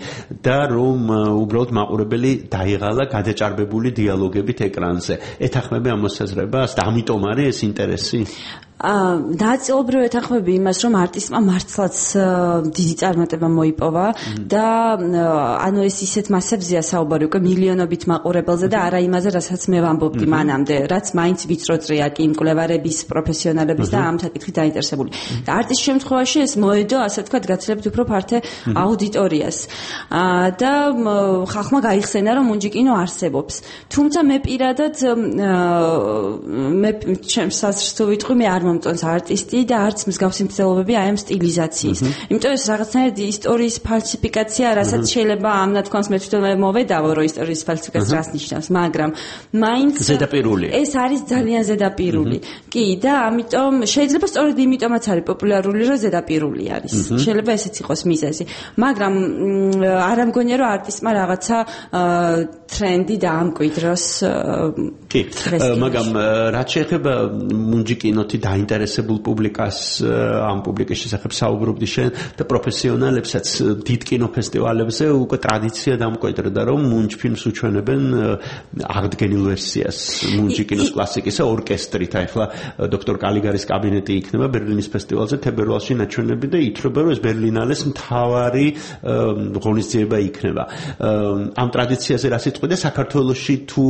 და რომ უბრალოდ მაყურებელი დაიღალა გადაჭარბებული დიალოგებით ეკრანზე. ეთანხმები ამ მოსაზრებას და ამიტომ არის ეს ინტერესი? დააწილობრივ ეთანხმები იმას, რომ არტისტმა მართლაც დიდი წარმატება მოიპოვა და ანუ ეს ისეთ მასებზეა საუბარი უკვე მილიონობით მაყურებელზე და არა იმაზე, რასაც მე ვამბობდი მანამდე, რაც მაინც ვიწროწრია კი მკვლევარების, პროფესიონალების და ამ საკითხით დაინტერესებული. და არტისტის შემთხვევაში ეს მოედო, ასე ვთქვათ, გაცილებით უფრო ფართე აუდიტორიას. და ხალხმა გაიხსენა, რომ მუნჯი კინო არსებობს. თუმცა მე პირადად მე ჩემს საზრს თუ ვიტყვი, მე არ მომწონს არტისტი და არც მსგავსი მცდელობები აი ამ სტილიზაციის. იმიტომ ეს რაღაცნაირად ისტორიის ფალსიფიკაცია, რასაც შეიძლება ამ ნათქვამს მე თვითონ მოვედავო, რომ ისტორიის ფალსიფიკაცია რას ნიშნავს, მაგრამ მაინც ზედაპირული. ეს არის ძალიან ზედაპირული. კი, და ამიტომ შეიძლება სწორედ იმიტომაც არის პოპულარული, რომ ზედაპირული არის. შეიძლება ესეც იყოს მიზეზი. მაგრამ არ ამგონია, რომ არტისტმა რაღაცა ტრენდი დაამკვიდროს. კი, მაგრამ რაც შეეხება მუნჯი კინოთი დაინტერესებულ პუბლიკას, ამ პუბლიკის შესახებ საუბრობდი შენ და პროფესიონალებსაც დიდ კინოფესტივალებზე უკვე ტრადიცია დამკვიდრდა, რომ მუნჯ ფილმს უჩვენებენ აღდგენილ ვერსიას მუნჯი კინოს კლასიკისა ორკესტრით. ახლა დოქტორ კალიგარის კაბინეტი იქნება ბერლინის ფესტივალზე თებერვალში ნაჩვენები და ითვლება, რომ ეს ბერლინალეს მთავარი ღონისძიება იქნება. ამ ტრადიციაზე რა სიტყვი და საქართველოში თუ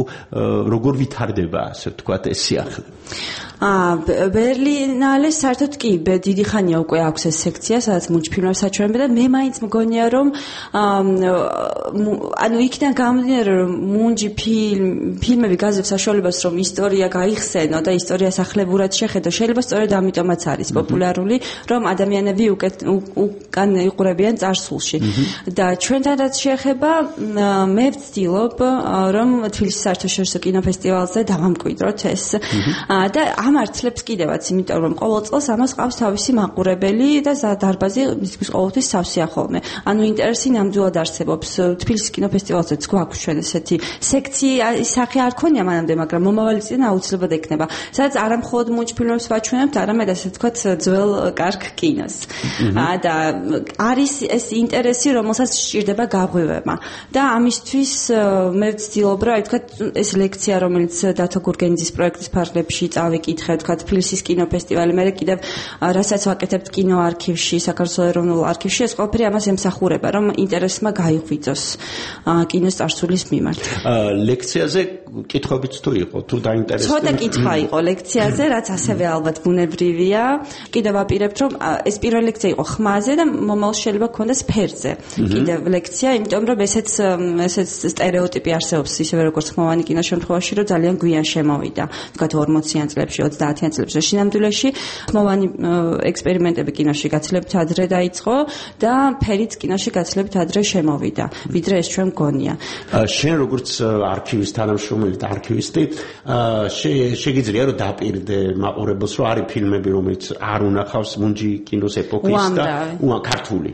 როგორ ვითარდება, ასე ვთქვათ, ეს სიახლე? აა ბერლინალეს საერთოდ კი დიდი ხანია უკვე აქვს ეს სექცია, სადაც მუნჯფილმებს აჩვენებენ და მე მაინც მგონია რომ ანუ იქიდან გამომდინარე რომ მუნჯი ფილმ ფილმები გაძლევს საშუალებას რომ ისტორია გაიხსენო და ისტორიას ახლებურად შეხედო. შეიძლება სწორედ ამიტომაც არის პოპულარული, რომ ადამიანები უკან იყურებიან წარსულში. და ჩვენთან რაც შეეხება, მე ვცდილობ რომ თბილისის საერთაშორისო კინოფესტივალზე დავამკვიდროთ ეს და ამართლებს კიდევაც, იმიტომ რომ ყოველ წელს ამას ყავს თავისი მაყურებელი და დარბაზი მისთვის ყოველთვის სავსეა ხოლმე. ანუ ინტერესი ნამდვილად არსებობს. თბილისის კინოფესტივალზეც გვაქვს ჩვენ ესეთი სექცია, სახე არ ქონია მანამდე, მაგრამ მომავალი წინ აუცილებლად ექნება. სადაც არა მხოლოდ მუნჯფილმებს ვაჩვენებთ, არამედ ასე ვთქვათ ძველ კარგ კინოს. და არის ეს ინტერესი, რომელსაც სჭირდება გაღვივება. და ამისთვის მე ვცდილობ რა, ვთქვათ, ეს ლექცია, რომელიც დათო გურგენიძის პროექტის ფარგლებში წავიკითხე, ვთქვათ, თბილისის კინოფესტივალი, მე კიდევ რასაც ვაკეთებთ კინოარქივში, საქართველოს ეროვნულ არქივში, ეს ყველაფერი ამას ემსახურება, რომ ინტერესმა გაიღვიძოს კინოს წარსულის მიმართ. ლექციაზე კითხვებიც თუ იყო, თუ დაინტერესდა? ცოტა კითხვა იყო ლექციაზე, რაც ასევე ალბათ ბუნებრივია. კიდევ ვაპირებთ, რომ ეს პირველი ლექცია იყო ხმაზე და მომავალ შეიძლება გქონდეს ფერზე. კიდევ ლექცია, იმიტომ რომ ესეც ესეც სტერეოტიპი არსებობს, ისევე როგორც ხმოვანი კინოს შემთხვევაში, რომ ძალიან გვიან შემოვიდა. ვთქვათ ორმოციან წლებში, ოცდაათიან წლებში. შინამდვილეში ხმოვანი ექსპერიმენტები კინოში გაცილებით ადრე დაიწყო და ფერიც კინოში გაცილებით ადრე შემოვიდა, ვიდრე ეს ჩვენ მგონია. შენ როგორც არქივის თანამშრომელი და არქივისტი, შეგიძლია რომ დაპირდე მაყურებელს, რომ არის ფილმები, რომელიც არ უნახავს მუნჯი კინოს ეპოქის და ქართული.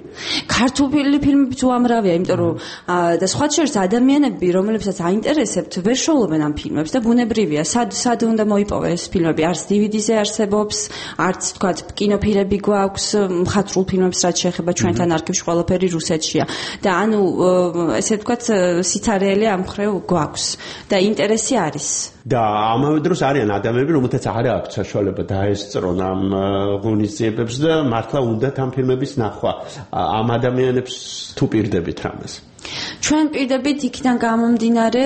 ქართული ფილმებიც უამრავია, იმიტომ რომ და სხვა შორის ადამიანები, რომლებსაც აინტერესებთ, ვერ შოულობენ ამ ფილმებს და ბუნებრივია, სად სად უნდა მოიპოვეს ეს ფილმები, არც დი ვი დი-ზე არსებობს, არც თქვათ კინოფირები გვაქვს, მხატვრულ ფილმებს რაც შეეხება ჩვენთან არქივში ყველაფერი რუსეთშია. და ანუ ესე ვთქვათ, სიცარიელი ამ მხრივ გვაქვს და ინტერესი არის. და ამავე დროს არიან ადამიანები, რომელთაც არ აქვს საშუალება დაესწრონ ამ ღონისძიებებს და მართლა უნდათ ამ ფილმების ნახვა. ამ ადამიანებს თუ პირდებით რამეს? ჩვენ პირდებით იქიდან გამომდინარე,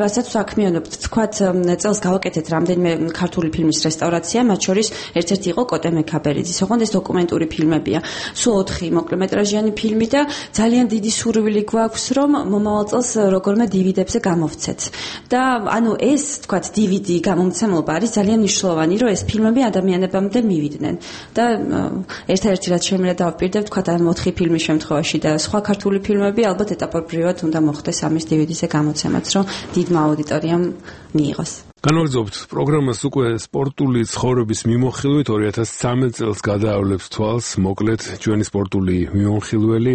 რასაც საქმიანობთ, თქვათ, წელს გავაკეთეთ რამდენიმე ქართული ფილმის რესტავრაცია, მათ შორის ერთ-ერთი იყო კოტე მექაბერიძის, ოღონდ ეს დოკუმენტური ფილმებია. სულ ოთხი მოკლემეტრაჟიანი ფილმი და ძალიან დიდი სურვილი გვაქვს, რომ მომავალ წელს როგორმე დი ვი დი-ებზე გამოვცეთ. და ანუ ეს, თქვათ, დი ვი დი გამომცემლობა არის ძალიან მნიშვნელოვანი, რომ ეს ფილმები ადამიანებამდე მივიდნენ. და ერთ-ერთი რაც შემიძლია დავპირდებ, თქვათ, ამ ოთხი ფილმის შემთხვევაში და სხვა ქართული ფილმები ალბათ ეტაპობრივად უნდა მოხდეს ამის დი ვი დი-ზე გამოცემაც, რომ დიდმა აუდიტორიამ მიიღოს. განვაგრძობთ პროგრამას უკვე სპორტული ცხოვრების მიმოხილვით ორი ათას ცხრამეტ წელს გადაავლებს თვალს მოკლედ ჩვენი სპორტული მიმოხილველი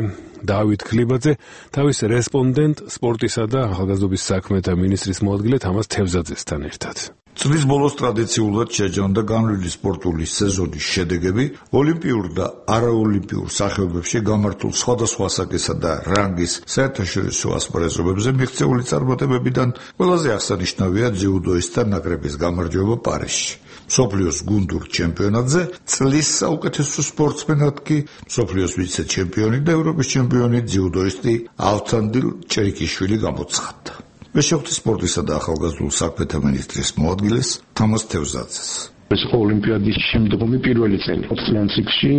დავით ქლიბაძე თავის რესპონდენტ სპორტისა და ახალგაზრდობის საქმეთა მინისტრის მოადგილე თამაზ თევზაძესთან ერთად. წლის ბოლოს ტრადიციულად შეჯამდა განვლილი სპორტული სეზონის შედეგები ოლიმპიურ და არაოლიმპიურ სახეობებში გამართულ სხვადასხვა ასაკისა და რანგის საერთაშორისო ასპარეზობებზე მიღწეული წარმატებებიდან ყველაზე აღსანიშნავია ძიუდოისტთა ნაკრების გამარჯვება პარიზში. მსოფლიოს გუნდურ ჩემპიონატზე წლის საუკეთესო სპორტსმენად კი მსოფლიოს ვიცე-ჩემპიონი და ევროპის ჩემპიონი ძიუდოისტი ავთანდილ ჭერიკიშვილი გამოცხადდა. მე შევხვდი სპორტისა და ახალგაზრდულ საქმეთა მინისტრის მოადგილეს თამაზ თევზაძეს. ეს ოლიმპიადის შემდგომი პირველი წელი ოცდაათიან ციკლში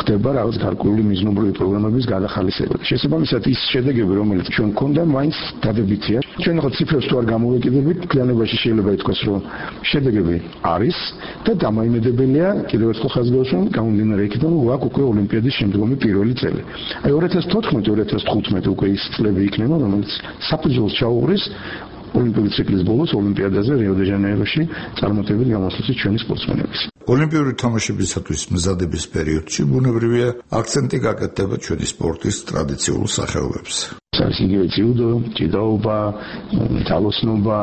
ხდება რაღაც გარკვეული მიზნობრივი პროგრამების გადახალისება. შესაბამისად ის შედეგები, რომელიც ჩვენ გვქონდა, მაინც დადებითია. ჩვენ ახლა ციფრებს თუ არ გამოვეკიდებით, კლიანობაში შეიძლება ითქვას, რომ შედეგები არის და დამოიმედებელია კიდევ ერთხელ ხაზგასმულ გამომდინარე იქიდან, რომ გვაქვს უკვე ოლიმპიადის შემდგომი პირველი წელი. აი ორი ათას თოთხმეტი ორი ათას თხუთმეტი უკვე ის წლები იქნება, რომელიც საფუძველს ჩაუყრის ოლიმპიური ციკლის ბოლოს ოლიმპიადაზე რიო-დე-ჟანეიროში წარმატებით გამოსვლით ჩვენი სპორტსმენების. ოლიმპიური თამაშებისათვის მზადების პერიოდში ბუნებრივია აქცენტი გაკეთდება ჩვენი სპორტის ტრადიციულ სახეობებზე. არის იგივე ძიუდო, ჯიდოობა, თალოსნობა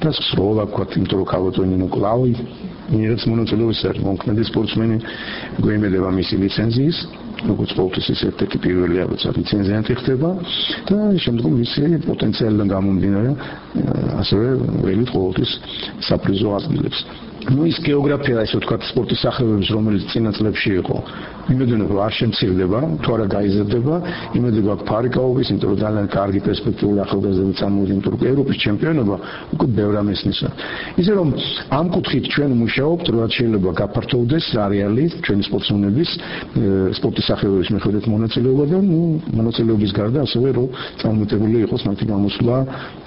და სროლა ქვათ, იმიტომ რომ ქალბატონი მოკლავი, ერთ მონაწილეობის მომქმედი სპორტსმენი გვემედება მისი ლიცენზიის, როგორც ყოველთვის ეს ერთ-ერთი პირველია, როცა ლიცენზიანტი ხდება და შემდგომ მისი პოტენციალიდან გამომდინარე ასევე ველით ყოველთვის საპრიზო ადგილებს. ну ის გეოგრაფია ესე ვთქვათ სპორტის სახეობების რომელიც წინა წლებში იყო იმედია რომ არ შემცირდება თუ არა გაიზრდება იმედია გვაქვს ფარიკაობის იმიტომ რომ ძალიან კარგი პერსპექტიული ახალგაზრდები წამოვიდნენ იმიტომ რომ ევროპის ჩემპიონობა უკვე ბევრ ამესნისა ისე რომ ამ კუთხით ჩვენ მუშაობთ რაც შეიძლება გაფართოვდეს არეალი ჩვენი სპორტსმენების სპორტის სახეობების მიხედვით მონაწილეობა და ნუ მონაწილეობის გარდა ასევე რომ წარმატებული იყოს მათი გამოსვლა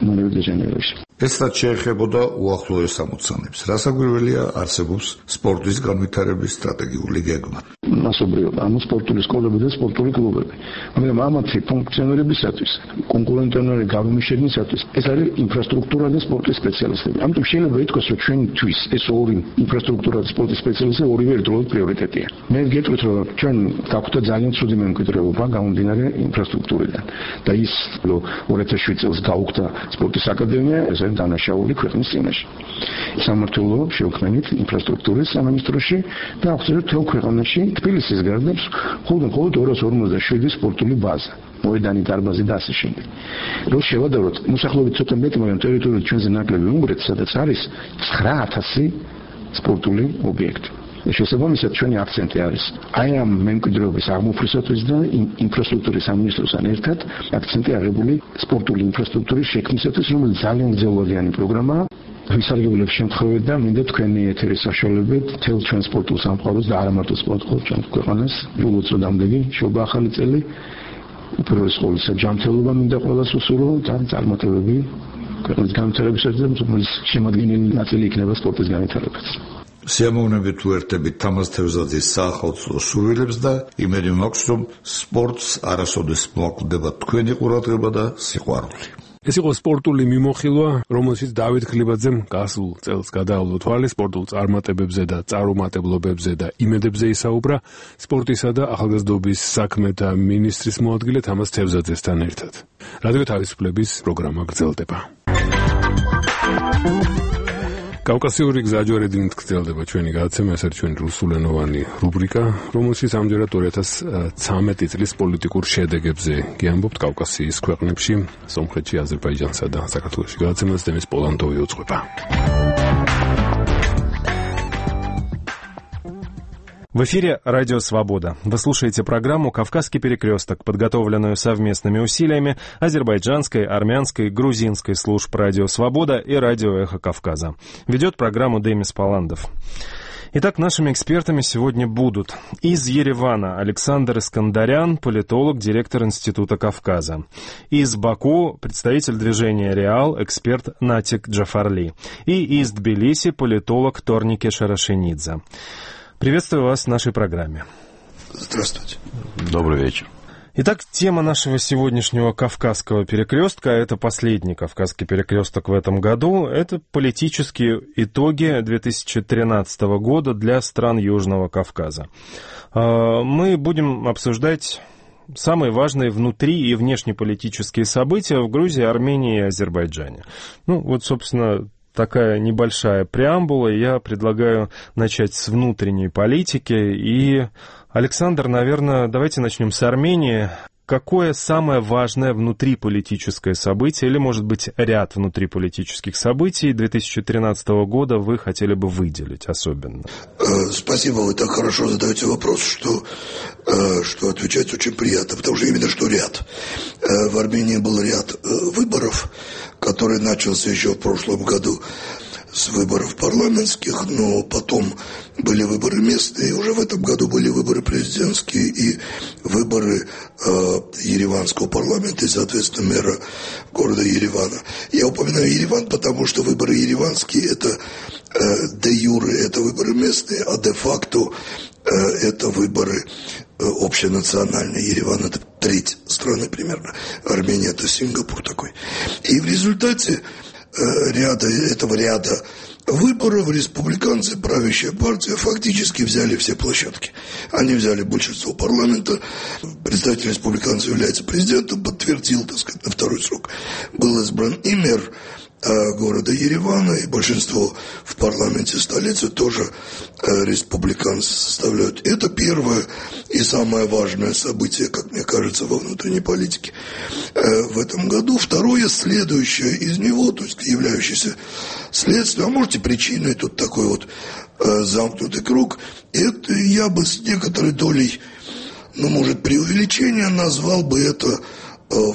მონდიალში ეს რაც შეეხებოდა უახლოეს ამოცანებს. რასაკვირველია არსებობს სპორტის განვითარების სტრატეგიული გეგმა. მასობრივად, ანუ სპორტული სკოლები და სპორტული კლუბები. მაგრამ ამათი ფუნქციონირებისათვის, კონკურენტული გამომიშენისათვის ეს არის ინფრასტრუქტურა და სპორტის სპეციალისტები. ამიტომ შეიძლება ითქვას, რომ ჩვენთვის ეს ორი ინფრასტრუქტურა და სპორტის სპეციალისტები ორივე ერთდროულად პრიორიტეტია. მე გეტყვით, რომ ჩვენ გაგვხდა ძალიან ცუდი მემკვიდრეობა გამომდინარე ინფრასტრუქტურიდან. და ის, რომ ორი ათას შვიდ წელს გაუხდა სპორტის აკადემია, ეს არის დანაშაული ქვეყნის წინაშე. სამმართველო შევქმნით ინფრასტრუქტურის სამინისტროში და ახსენეთ თელ ქვეყანაში თბილისის გარდა მხოლოდ ორას ორმოცდაშვიდი სპორტული ბაზა. მოედანი, დარბაზი და ასე შემდეგ. რო შევადაროთ, მოსახლეობით ცოტა მეტი, მაგრამ ტერიტორიულად ჩვენზე ნაკლები უნგრეთი, სადაც არის ცხრა ათასი სპორტული ობიექტი. შესაბამისად ჩვენი აქცენტი არის აი ამ მემკვიდრეობის აღმოფხვრისათვის და ინფრასტრუქტურის სამინისტროსთან ერთად აქცენტი აღებული სპორტული ინფრასტრუქტურის შექმნისათვის, რომელიც ძალიან გრძელვადიანი პროგრამაა. ვისარგებლებ შემთხვევით და მინდა თქვენი ეთერის საშუალებით თელ ჩვენ სპორტულ სამყაროს და არა მარტო სპორტულ ჩვენ ქვეყანას უწოდამდელი შობა ახალი წელი უპირველეს ყოვლისა ჯანმრთელობა მინდა ყველას უსურვო და წარმატებები ქვეყნის განვითარებისათვის და რომელიც შემადგენელი ნაწილი იქნება სპორტის განვითარებაც. სიამოვნებით უერთებით თამაზ თევზაძის საახალწლო სურვილებს და იმედი მაქვს, რომ სპორტს არასოდეს მოაკვდება თქვენი ყურადღება და სიყვარული. ეს იყო სპორტული მიმოხილვა, რომელშიც დავით ქლიბაძემ გასულ წელს გადაავლო თვალი სპორტულ წარმატებებზე და წარუმატებლობებზე და იმედებზე ისაუბრა სპორტისა და ახალგაზრდობის საქმეთა მინისტრის მოადგილე თამაზ თევზაძესთან ერთად. რადიო თავისუფლების პროგრამა გრძელდება. კავკასიური გზაჯვარედინით გრძელდება ჩვენი გადაცემა, ეს არის ჩვენი რუსულენოვანი რუბრიკა, რომელშიც ამჯერად ორი ათას ცხრამეტი წლის პოლიტიკურ შედეგებზე გიამბობთ კავკასიის ქვეყნებში, სომხეთში, აზერბაიჯანსა და საქართველოში. გადაცემას დემის პოლანდოვი უძღვება. В эфире «Радио Свобода». Вы слушаете программу «Кавказский перекресток», подготовленную совместными усилиями азербайджанской, армянской, грузинской служб «Радио Свобода» и «Радио Эхо Кавказа». Ведет программу Демис Поландов. Итак, нашими экспертами сегодня будут из Еревана Александр Искандарян, политолог, директор Института Кавказа. Из Баку представитель движения «Реал», эксперт Натик Джафарли. И из Тбилиси политолог Торнике Шарашенидзе. Приветствую вас в нашей программе. Здравствуйте. Добрый вечер. Итак, тема нашего сегодняшнего Кавказского перекрестка, это последний Кавказский перекресток в этом году, это политические итоги две тысячи тринадцатого года для стран Южного Кавказа. Мы будем обсуждать самые важные внутри- и внешнеполитические события в Грузии, Армении и Азербайджане. Ну, вот, собственно, такая небольшая преамбула. Я предлагаю начать с внутренней политики. И, Александр, наверное, давайте начнем с Армении. Какое самое важное внутриполитическое событие, или, может быть, ряд внутриполитических событий две тысячи тринадцатого года вы хотели бы выделить особенно? Спасибо, вы так хорошо задаете вопрос, что, что отвечать очень приятно, потому что именно что ряд. В Армении был ряд выборов, который начался еще в прошлом году с выборов парламентских, но потом были выборы местные, и уже в этом году были выборы президентские и выборы э, Ереванского парламента и, соответственно, мэра города Еревана. Я упоминаю Ереван, потому что выборы ереванские – это э, де юре, это выборы местные, а де-факто э, это выборы э, общенациональные. Ереван – это треть страны примерно, Армения – это Сингапур такой. И в результате ряда, этого ряда выборов республиканцы, правящая партия, фактически взяли все площадки. Они взяли большинство парламента, представитель республиканцев является президентом, подтвердил, так сказать, на второй срок был избран и мэр города Еревана, и большинство в парламенте столицы тоже республиканцы составляют. Это первое и самое важное событие, как мне кажется, во внутренней политике в этом году. Второе, следующее из него, то есть являющееся следствием, а может и причиной, тут такой вот замкнутый круг, это я бы с некоторой долей, ну, может, преувеличения назвал бы это.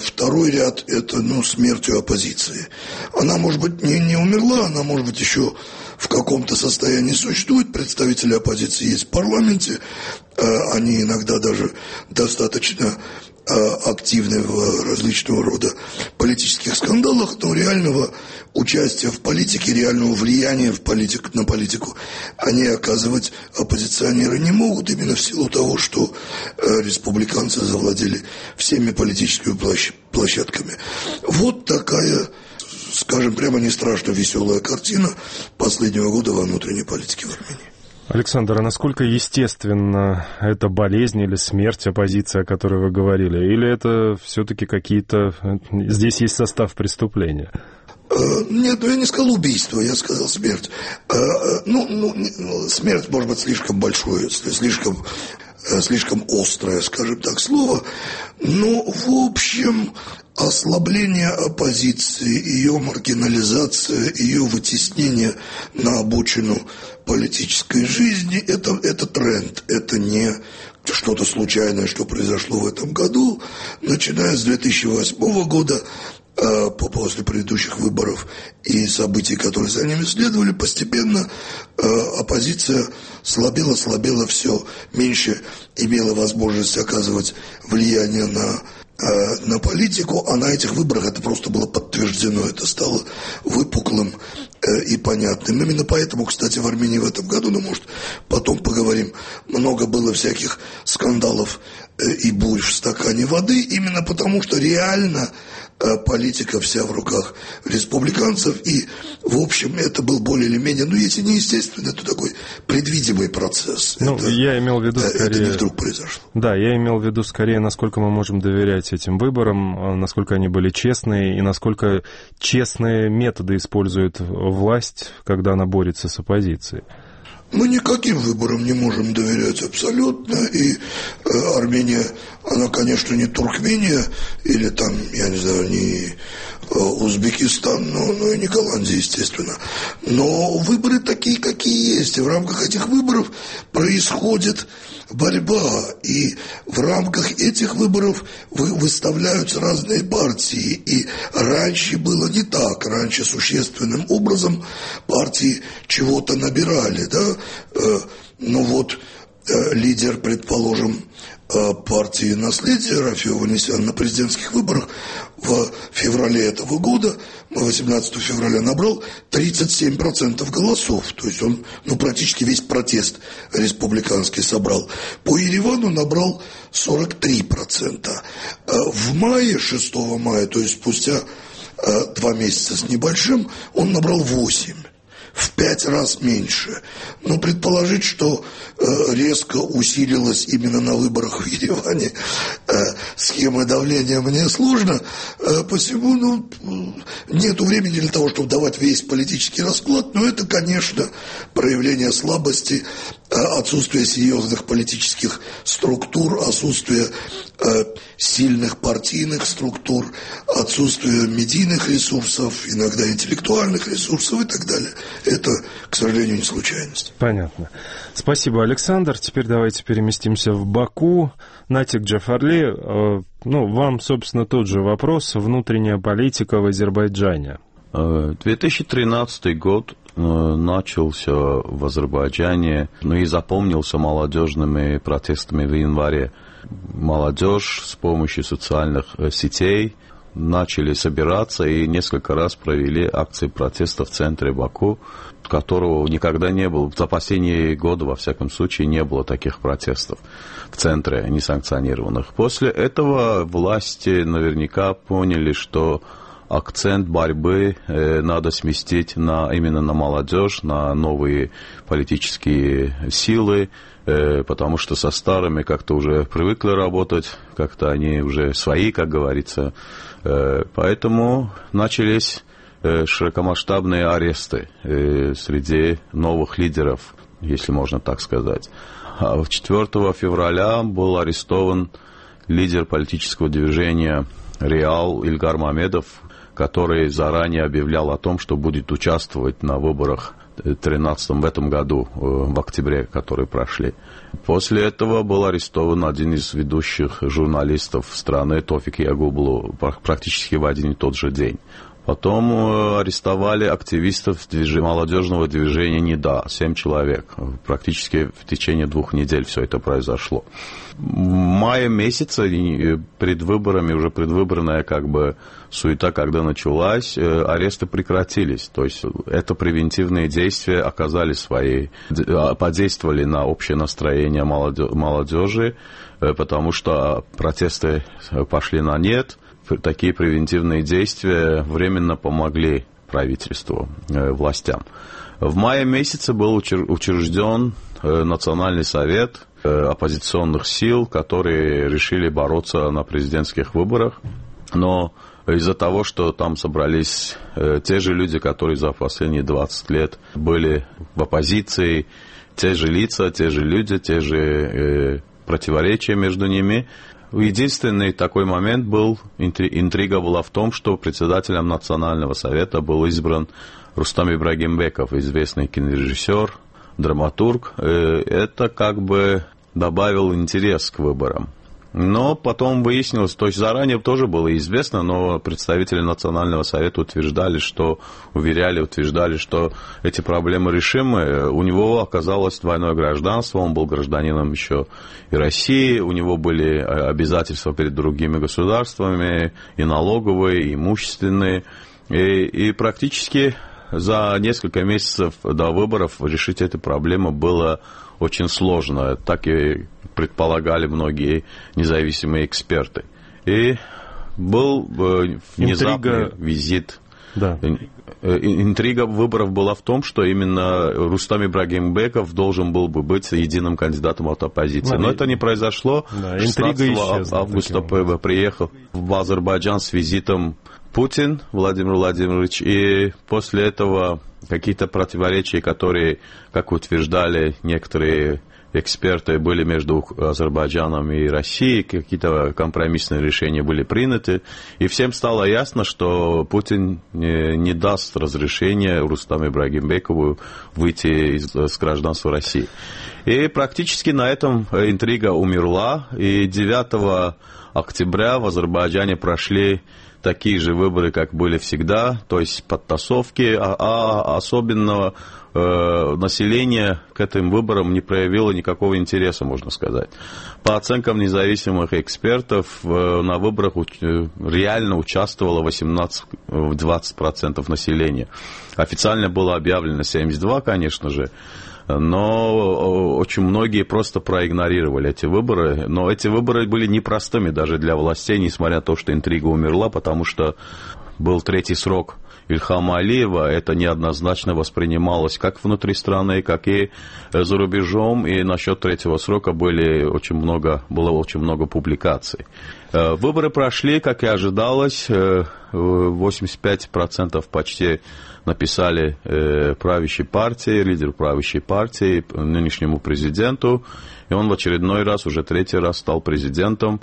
Второй ряд – это, ну, смертью оппозиции. Она, может быть, не, не умерла, она, может быть, еще в каком-то состоянии существует. Представители оппозиции есть в парламенте, они иногда даже достаточно активны в различного рода политических скандалах, но реального участия в политике, реального влияния в политику, на политику они оказывать оппозиционеры не могут, именно в силу того, что республиканцы завладели всеми политическими площадками. Вот такая, скажем прямо, не страшно веселая картина последнего года во внутренней политике в Армении. Александр, а насколько естественно эта болезнь или смерть оппозиции, о которой вы говорили? Или это все-таки какие-то... Здесь есть состав преступления? Нет, ну я не сказал убийство, я сказал смерть. Ну, ну смерть, может быть, слишком большое, слишком, слишком острое, скажем так, слово. Но, в общем, ослабление оппозиции, ее маргинализация, ее вытеснение на обочину политической жизни, это, это тренд, это не что-то случайное, что произошло в этом году. Начиная с две тысячи восьмого года, после предыдущих выборов и событий, которые за ними следовали, постепенно оппозиция слабела, слабела, все меньше имела возможность оказывать влияние на, на политику, а на этих выборах это просто было подтверждено, это стало выпуклым и понятным. Именно поэтому, кстати, в Армении в этом году, ну, может, потом поговорим, много было всяких скандалов и бурь в стакане воды, именно потому что реально политика вся в руках республиканцев, и, в общем, это был более или менее, ну, если не естественно, то такой предвидимый процесс. Ну, это, я имел в виду скорее... Это не вдруг произошло. Да, я имел в виду скорее, насколько мы можем доверять этим выборам, насколько они были честные, и насколько честные методы использует власть, когда она борется с оппозицией. Мы никаким выборам не можем доверять абсолютно, и э, Армения, она, конечно, не Туркмения, или там, я не знаю, не э, Узбекистан, но, но и не Голландия, естественно. Но выборы такие, какие есть, и в рамках этих выборов происходит борьба, и в рамках этих выборов вы, выставляются разные партии, и раньше было не так, раньше существенным образом партии чего-то набирали, да, э, ну вот э, лидер, предположим, э, партии «Наследие» Рафи Ованесян на президентских выборах в феврале этого года, восемнадцатого февраля, набрал тридцать семь процентов голосов. То есть он, ну, практически весь протест республиканский собрал. По Еревану набрал сорок три процента. В мае, шестого мая, то есть спустя два месяца с небольшим, он набрал восемь. В пять раз меньше. Но предположить, что э, резко усилилась именно на выборах в Ереване э, схема давления, мне сложно. Э, посему, ну, нету времени для того, чтобы давать весь политический расклад, но это, конечно, проявление слабости, э, отсутствие серьезных политических структур, отсутствие э, сильных партийных структур, отсутствие медийных ресурсов, иногда интеллектуальных ресурсов и так далее. Это, к сожалению, не случайность. Понятно. Спасибо, Александр. Теперь давайте переместимся в Баку. Натик Джафарли, ну, вам, собственно, тот же вопрос. Внутренняя политика в Азербайджане. две тысячи тринадцатый год начался в Азербайджане, ну и запомнился молодежными протестами в январе. Молодежь с помощью социальных сетей начали собираться и несколько раз провели акции протеста в центре Баку, которого никогда не было. За последние годы, во всяком случае, не было таких протестов в центре несанкционированных. После этого власти наверняка поняли, что акцент борьбы э, надо сместить на, именно на молодежь, на новые политические силы, э, потому что со старыми как-то уже привыкли работать, как-то они уже свои, как говорится. Э, поэтому начались широкомасштабные аресты среди новых лидеров, если можно так сказать. четвёртого февраля был арестован лидер политического движения «Реал» Ильгар Мамедов, который заранее объявлял о том, что будет участвовать на выборах тринадцатом в этом году, в октябре, которые прошли. После этого был арестован один из ведущих журналистов страны, Тофик Ягублу, практически в один и тот же день. Потом арестовали активистов движ... молодежного движения «НИДА», семь человек. Практически в течение двух недель все это произошло. В мае месяце, перед выборами, уже предвыборная как бы суета, когда началась, аресты прекратились. То есть это превентивные действия оказали свои, подействовали на общее настроение молодежи, потому что протесты пошли на нет. Такие превентивные действия временно помогли правительству, э, властям. В мае месяце был учрежден э, Национальный совет э, оппозиционных сил, которые решили бороться на президентских выборах. Но из-за того, что там собрались э, те же люди, которые за последние двадцать лет были в оппозиции, те же лица, те же люди, те же э, противоречия между ними, единственный такой момент был, интрига была в том, что председателем Национального совета был избран Рустам Ибрагимбеков, известный кинорежиссер, драматург. Это как бы добавил интерес к выборам. Но потом выяснилось, то есть заранее тоже было известно, но представители Национального совета утверждали, что, уверяли, утверждали, что эти проблемы решимы. У него оказалось двойное гражданство, он был гражданином еще и России, у него были обязательства перед другими государствами, и налоговые, и имущественные, и, и практически за несколько месяцев до выборов решить эту проблему было очень сложно, так и предполагали многие независимые эксперты. И был внезапный Интрига... визит. Да. Интрига выборов была в том, что именно Рустам Ибрагимбеков должен был бы быть единым кандидатом от оппозиции. Да, но и... это не произошло. Да, шестнадцатого августа приехал в Азербайджан с визитом Путин Владимир Владимирович, и после этого какие-то противоречия, которые, как утверждали некоторые эксперты, были между Азербайджаном и Россией, какие-то компромиссные решения были приняты, и всем стало ясно, что Путин не, не даст разрешения Рустаму Ибрагимбекову выйти из, из гражданства России. И практически на этом интрига умерла, и девятого октября в Азербайджане прошли такие же выборы, как были всегда, то есть подтасовки, а, а особенно э, население к этим выборам не проявило никакого интереса, можно сказать. По оценкам независимых экспертов, э, на выборах э, реально участвовало восемнадцать-двадцать процентов населения. Официально было объявлено семьдесят два процента, конечно же, но очень многие просто проигнорировали эти выборы. Но эти выборы были непростыми даже для властей, несмотря на то, что интрига умерла, потому что был третий срок Ильхама Алиева. Это неоднозначно воспринималось как внутри страны, как и за рубежом. И насчет третьего срока были очень много, было очень много публикаций. Выборы прошли, как и ожидалось. восемьдесят пять процентов почти написали э, правящей партии, лидер правящей партии, нынешнему президенту, и он в очередной раз, уже третий раз стал президентом.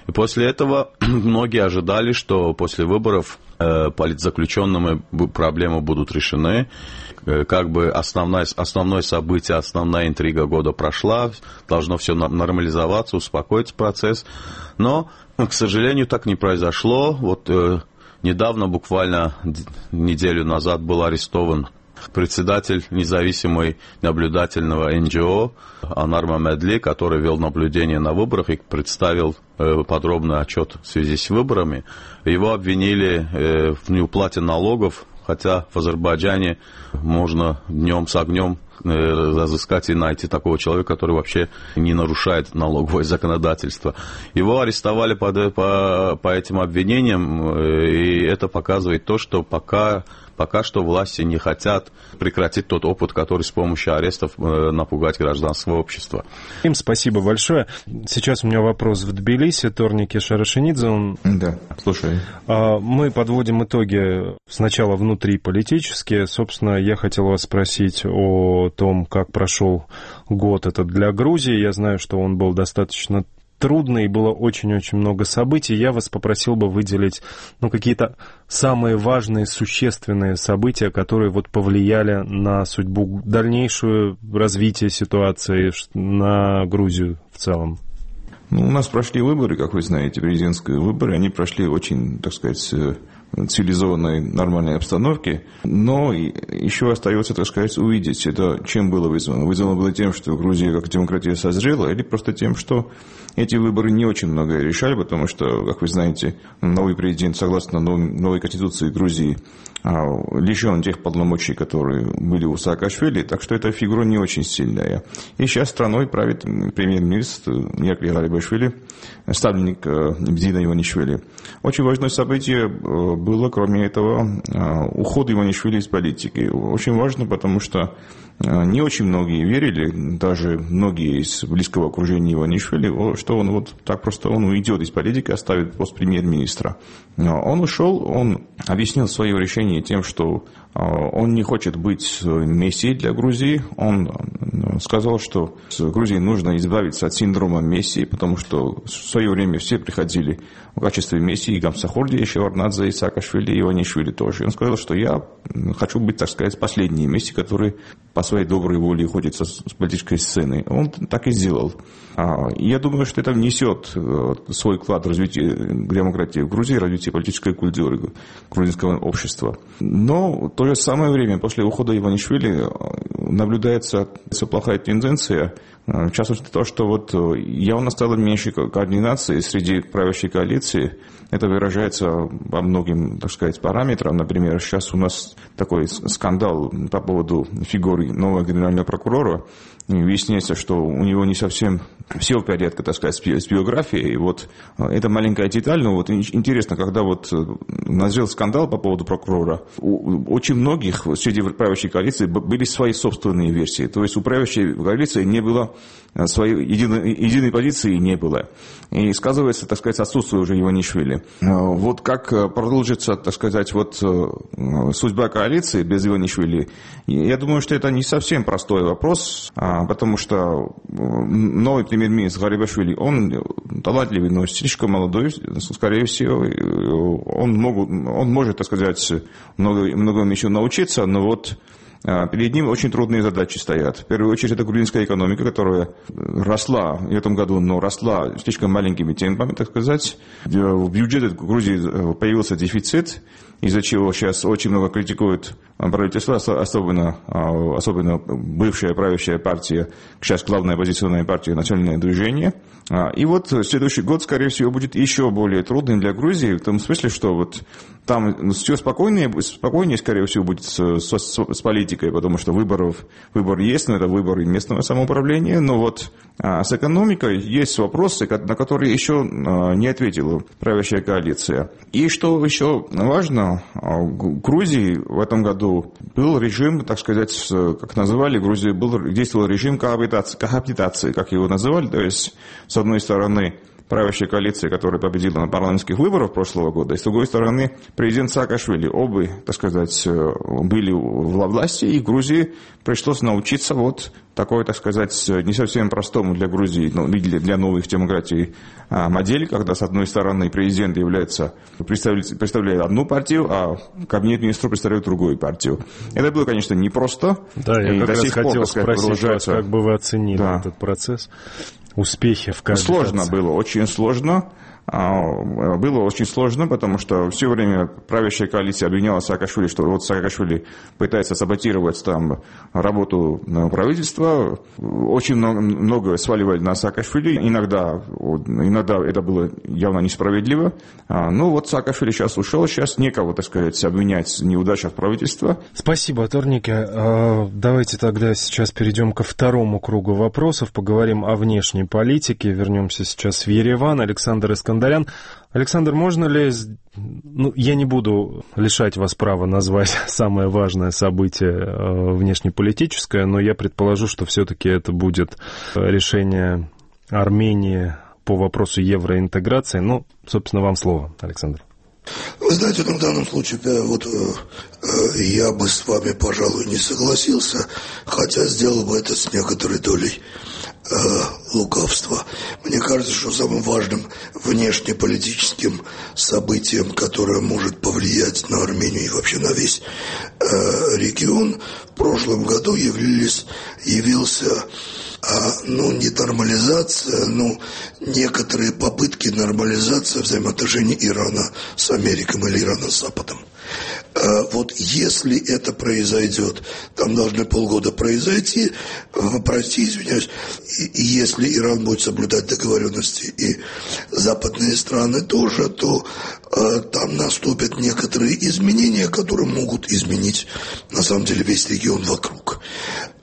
И после этого многие ожидали, что после выборов э, политзаключенными проблемы будут решены, э, как бы основное, основное событие, основная интрига года прошла, должно все нормализоваться, успокоить процесс, но, к сожалению, так не произошло. Вот э, недавно, буквально неделю назад, был арестован председатель независимой наблюдательного эн джи о Анар Мамедли, который вел наблюдение на выборах и представил подробный отчет в связи с выборами. Его обвинили в неуплате налогов, хотя в Азербайджане можно днем с огнем разыскать и найти такого человека, который вообще не нарушает налоговое законодательство. Его арестовали по, по, по этим обвинениям, и это показывает то, что пока Пока что власти не хотят прекратить тот опыт, который с помощью арестов напугать гражданское общество. Им спасибо большое. Сейчас у меня вопрос в Тбилиси. Торники Шарашенидзе. Он... Да, слушай. Мы подводим итоги сначала внутриполитические. Собственно, я хотел вас спросить о том, как прошел год этот для Грузии. Я знаю, что он был достаточно трудный, было очень-очень много событий. Я вас попросил бы выделить ну, какие-то самые важные, существенные события, которые вот повлияли на судьбу, дальнейшее развитие ситуации на Грузию в целом. Ну, у нас прошли выборы, как вы знаете, президентские выборы. Они прошли очень, так сказать, цивилизованной, нормальной обстановке, но еще остается, так сказать, увидеть, это чем было вызвано. Вызвано было тем, что Грузия как демократия созрела, или просто тем, что эти выборы не очень многое решали, потому что, как вы знаете, новый президент, согласно новой конституции Грузии, лишен тех полномочий, которые были у Саакашвили, так что эта фигура не очень сильная. И сейчас страной правит премьер-министр Ираклий Гарибашвили, ставленник Мдина Иванишвили. Очень важное событие было, кроме этого, уход Иванишвили из политики. Очень важно, потому что не очень многие верили, даже многие из близкого окружения Иванишвили, что он вот так просто он уйдет из политики, оставит пост премьер-министра. Он ушел, он объяснил свое решение тем, что он не хочет быть мессией для Грузии. Он сказал, что с Грузией нужно избавиться от синдрома мессии, потому что в свое время все приходили в качестве мессии, Гамсахурди, Шеварднадзе, Саакашвили, Иванишвили тоже. И он сказал, что я хочу быть, так сказать, последней мессией, который по своей доброй воле уходит с политической сцены. Он так и сделал. Я думаю, что это внесет свой вклад в развитие демократии в Грузии, развитие политической культуры грузинского общества. Но в то же самое время, после ухода Иванишвили, наблюдается плохая тенденция, в частности, то, что вот явно стало меньше координации среди правящей коалиции. Это выражается по многим, так сказать, параметрам. Например, сейчас у нас такой скандал по поводу фигуры нового генерального прокурора. Выясняется, что у него не совсем все в порядке, так сказать, с биографией. И вот это маленькая деталь, но вот интересно, когда вот назрел скандал по поводу прокурора, у очень многих среди правящей коалиции были свои собственные версии. То есть у правящей коалиции не было своей единой, единой позиции, не было. И сказывается, так сказать, отсутствие уже Иванишвили. Вот как продолжится, так сказать, вот судьба коалиции без Иванишвили, я думаю, что это не совсем простой вопрос, потому что новый премьер-министр Гарибашвили, он талантливый, но слишком молодой, скорее всего, он, могут, он может, так сказать, много, многому еще научиться, но вот перед ним очень трудные задачи стоят. В первую очередь, это грузинская экономика, которая росла в этом году, но росла слишком маленькими темпами, так сказать. В бюджете Грузии появился дефицит, из-за чего сейчас очень много критикуют правительство, особенно, особенно бывшая правящая партия, сейчас главная оппозиционная партия «Национальное движение». И вот следующий год, скорее всего, будет еще более трудным для Грузии, в том смысле, что вот там все спокойнее, спокойнее скорее всего, будет с, с, с политикой, потому что выборов, выбор есть, но это выборы местного самоуправления, но вот а, с экономикой есть вопросы, на которые еще а, не ответила правящая коалиция. И что еще важно, в Грузии в этом году был режим, так сказать, как называли, в Грузии был, действовал режим коабитации, коабитации, как его называли, то есть, с одной стороны, правящая коалиция, которая победила на парламентских выборах прошлого года, и с другой стороны, президент Саакашвили. Оба, так сказать, были во власти, и в Грузии пришлось научиться вот такой, так сказать, не совсем простому для Грузии, ну, для, для новых демократий модели, когда, с одной стороны, президент является, представляет, представляет одну партию, а кабинет министров представляет другую партию. Это было, конечно, непросто. Да, я как раз хотел спросить вас, как бы вы оценили да. этот процесс, успехи в коабитации. Сложно было, очень сложно. Было очень сложно, потому что все время правящая коалиция обвиняла Саакашвили, что вот Саакашвили пытается саботировать там работу правительства. Очень много, много сваливали на Саакашвили. Иногда, иногда это было явно несправедливо. Ну вот Саакашвили сейчас ушел, сейчас некого, так сказать, обвинять в неудачах правительства. Спасибо, Торники. Давайте тогда сейчас перейдем ко второму кругу вопросов. Поговорим о внешней политике. Вернемся сейчас в Ереван. Александр Искандеров Искандарян. Александр, можно ли... Ну, я не буду лишать вас права назвать самое важное событие внешнеполитическое, но я предположу, что все-таки это будет решение Армении по вопросу евроинтеграции. Ну, собственно, вам слово, Александр. Вы знаете, в данном случае вот, я бы с вами, пожалуй, не согласился, хотя сделал бы это с некоторой долей э, лукавства. Мне кажется, что самым важным внешнеполитическим событием, которое может повлиять на Армению и вообще на весь э, регион, в прошлом году явились, явился А, ну, не нормализация, но некоторые попытки нормализации взаимоотношений Ирана с Америкой или Ирана с Западом. А, вот если это произойдет, там должны полгода произойти, прости, извиняюсь, и, и если Иран будет соблюдать договоренности и западные страны тоже, то а, там наступят некоторые изменения, которые могут изменить, на самом деле, весь регион вокруг.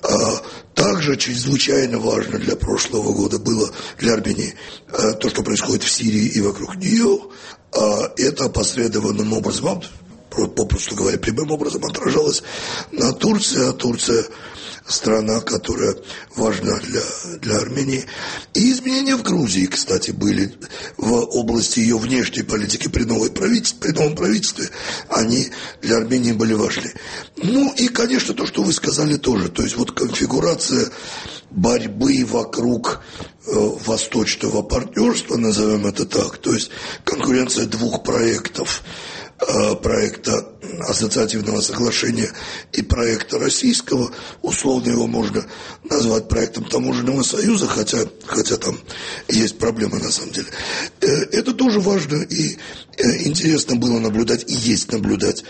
А, Также чрезвычайно важно для прошлого года было для Армении то, что происходит в Сирии и вокруг нее. Это опосредованным образом, попросту говоря, прямым образом отражалось на Турции, а Турция страна, которая важна для, для Армении. И изменения в Грузии, кстати, были в области ее внешней политики при, новой правительстве, при новом правительстве. Они для Армении были важны. Ну и, конечно, то, что вы сказали тоже. То есть вот конфигурация борьбы вокруг э, восточного партнерства, назовем это так. То есть конкуренция двух проектов. Проекта ассоциативного соглашения и проекта российского, условно его можно назвать проектом таможенного союза, хотя, хотя там есть проблемы на самом деле. Это тоже важно и интересно было наблюдать, и есть наблюдать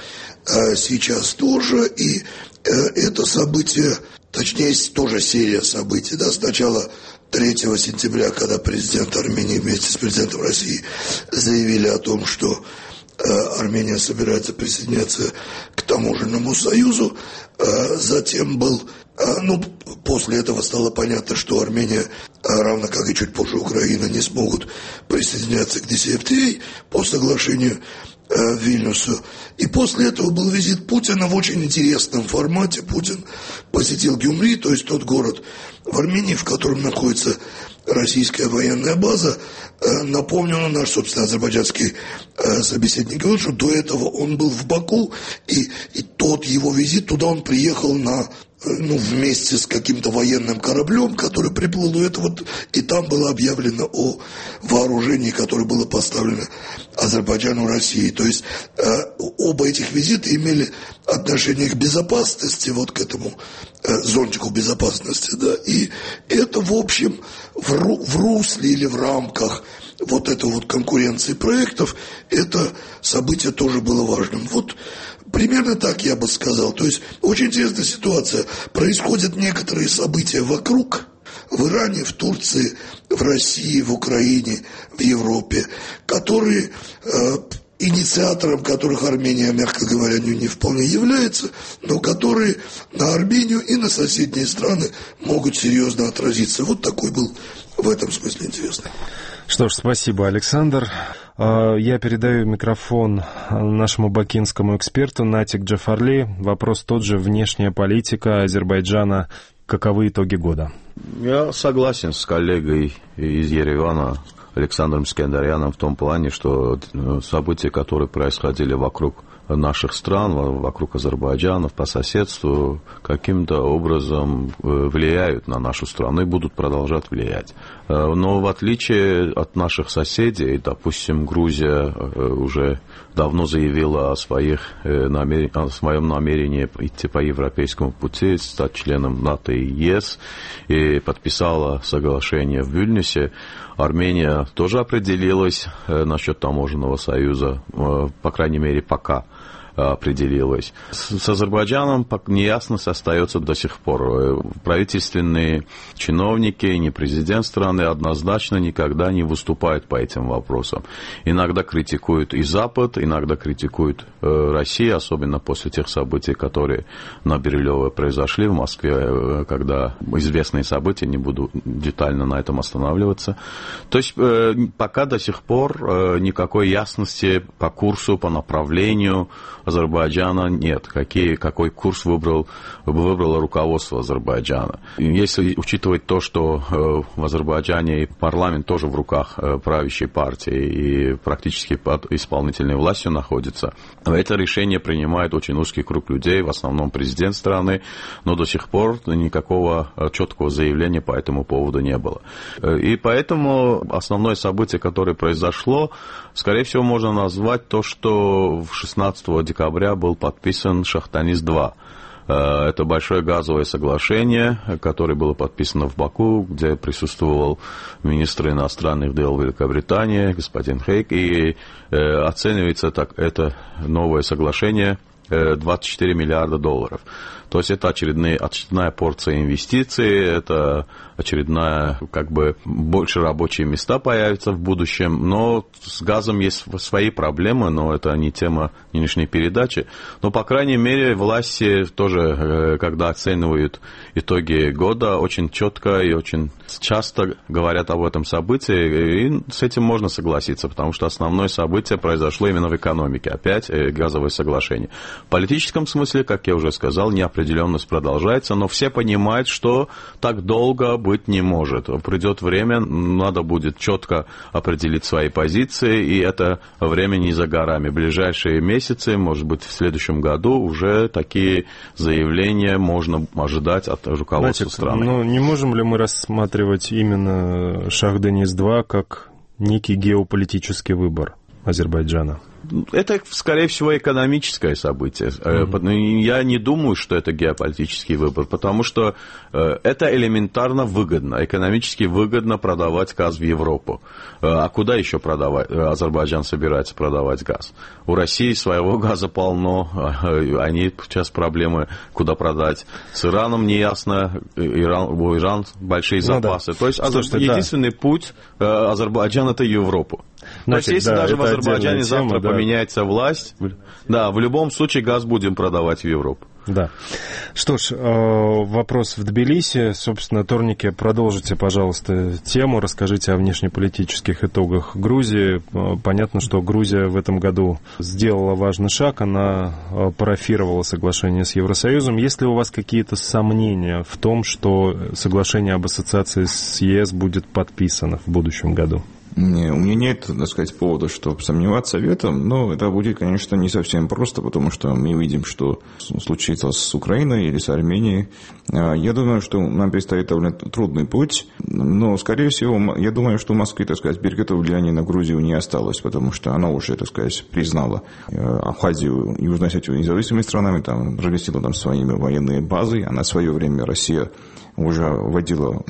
сейчас тоже, и это событие, точнее тоже серия событий, да, сначала третьего сентября, когда президент Армении вместе с президентом России заявили о том, что Армения собирается присоединяться к таможенному союзу. Затем был, ну, после этого стало понятно, что Армения, равно как и чуть позже Украина, не смогут присоединяться к ди си эф ти эй по соглашению в Вильнюсу. И после этого был визит Путина в очень интересном формате. Путин посетил Гюмри, то есть тот город в Армении, в котором находится российская военная база. Напомню, наш, собственно, азербайджанский собеседник говорил, что до этого он был в Баку, и, и тот его визит, туда он приехал на, ну, вместе с каким-то военным кораблем, который приплыл, и, это вот, и там было объявлено о вооружении, которое было поставлено Азербайджану России. То есть э, оба этих визита имели отношение к безопасности, вот к этому э, зонтику безопасности, да, и это, в общем, в, ру, в русле или в рамках вот этой вот конкуренции проектов, это событие тоже было важным. Вот примерно так я бы сказал. То есть очень интересная ситуация. Происходят некоторые события вокруг, в Иране, в Турции, в России, в Украине, в Европе, которые, э, инициатором которых Армения, мягко говоря, не, не вполне является, но которые на Армению и на соседние страны могут серьезно отразиться. Вот такой был в этом смысле интересный. Что ж, спасибо, Александр. Я передаю микрофон нашему бакинскому эксперту Натик Джафарли. Вопрос тот же: внешняя политика Азербайджана. Каковы итоги года? Я согласен с коллегой из Еревана Александром Искандаряном в том плане, что события, которые происходили вокруг наших стран, вокруг Азербайджана, по соседству, каким-то образом влияют на нашу страну и будут продолжать влиять. Но в отличие от наших соседей, допустим, Грузия уже давно заявила о, своих, о своем намерении идти по европейскому пути, стать членом НАТО и ЕС, и подписала соглашение в Вильнюсе. Армения тоже определилась насчет таможенного союза, по крайней мере, пока. определилось. С Азербайджаном неясность остается до сих пор. Правительственные чиновники, ни президент страны однозначно никогда не выступают по этим вопросам. Иногда критикуют и Запад, иногда критикуют Россию, особенно после тех событий, которые на Бирюлево произошли в Москве, когда известные события, не буду детально на этом останавливаться. То есть пока до сих пор никакой ясности по курсу, по направлению Азербайджана нет. Какие, какой курс выбрал, выбрало руководство Азербайджана. Если учитывать то, что в Азербайджане парламент тоже в руках правящей партии и практически под исполнительной властью находится, это решение принимает очень узкий круг людей, в основном президент страны, но до сих пор никакого четкого заявления по этому поводу не было. И поэтому основное событие, которое произошло, скорее всего, можно назвать то, что шестнадцатого декабря был подписан Шахтанис-два. Это большое газовое соглашение, которое было подписано в Баку, где присутствовал министр иностранных дел Великобритании, господин Хейк, и оценивается так, это новое соглашение двадцать четыре миллиарда долларов. То есть это очередная, очередная порция инвестиций, это очередная, как бы, больше рабочие места появятся в будущем. Но с газом есть свои проблемы, но это не тема нынешней передачи. Но, по крайней мере, власти тоже, когда оценивают итоги года, очень четко и очень часто говорят об этом событии, и с этим можно согласиться, потому что основное событие произошло именно в экономике. Опять газовое соглашение. В политическом смысле, как я уже сказал, неопределенность продолжается, но все понимают, что так долго быть не может. Придет время, надо будет четко определить свои позиции, и это время не за горами. В ближайшие месяцы, может быть, в следующем году уже такие заявления можно ожидать от руководства Значит, страны. Ну, не можем ли мы рассматривать именно Шахданис-два как некий геополитический выбор Азербайджана? Это, скорее всего, экономическое событие. Mm-hmm. Я не думаю, что это геополитический выбор, потому что это элементарно выгодно. Экономически выгодно продавать газ в Европу. А куда еще продавать? Азербайджан собирается продавать газ? У России своего газа полно. Они сейчас проблемы, куда продать. С Ираном неясно. Иран, у Ирана большие запасы. Ну, да. То есть Слушайте, единственный да. путь Азербайджана – это Европу. Значит, То есть, если да, даже в Азербайджане завтра тема, поменяется да. власть, да, в любом случае газ будем продавать в Европу. Да. Что ж, вопрос в Тбилиси. Собственно, Торнике, продолжите, пожалуйста, тему, расскажите о внешнеполитических итогах Грузии. Понятно, что Грузия в этом году сделала важный шаг, она парафировала соглашение с Евросоюзом. Есть ли у вас какие-то сомнения в том, что соглашение об ассоциации с ЕС будет подписано в будущем году? Не, у меня нет, так сказать, повода, чтобы сомневаться в этом, но это будет, конечно, не совсем просто, потому что мы видим, что случится с Украиной или с Арменией. Я думаю, что нам предстоит довольно трудный путь, но, скорее всего, я думаю, что у Москвы, так сказать, берегов влияния на Грузию не осталось, потому что она уже, так сказать, признала Абхазию и Южную Осетию независимыми странами, там, разместила там своими военные базы, а на свое время Россия уже вводила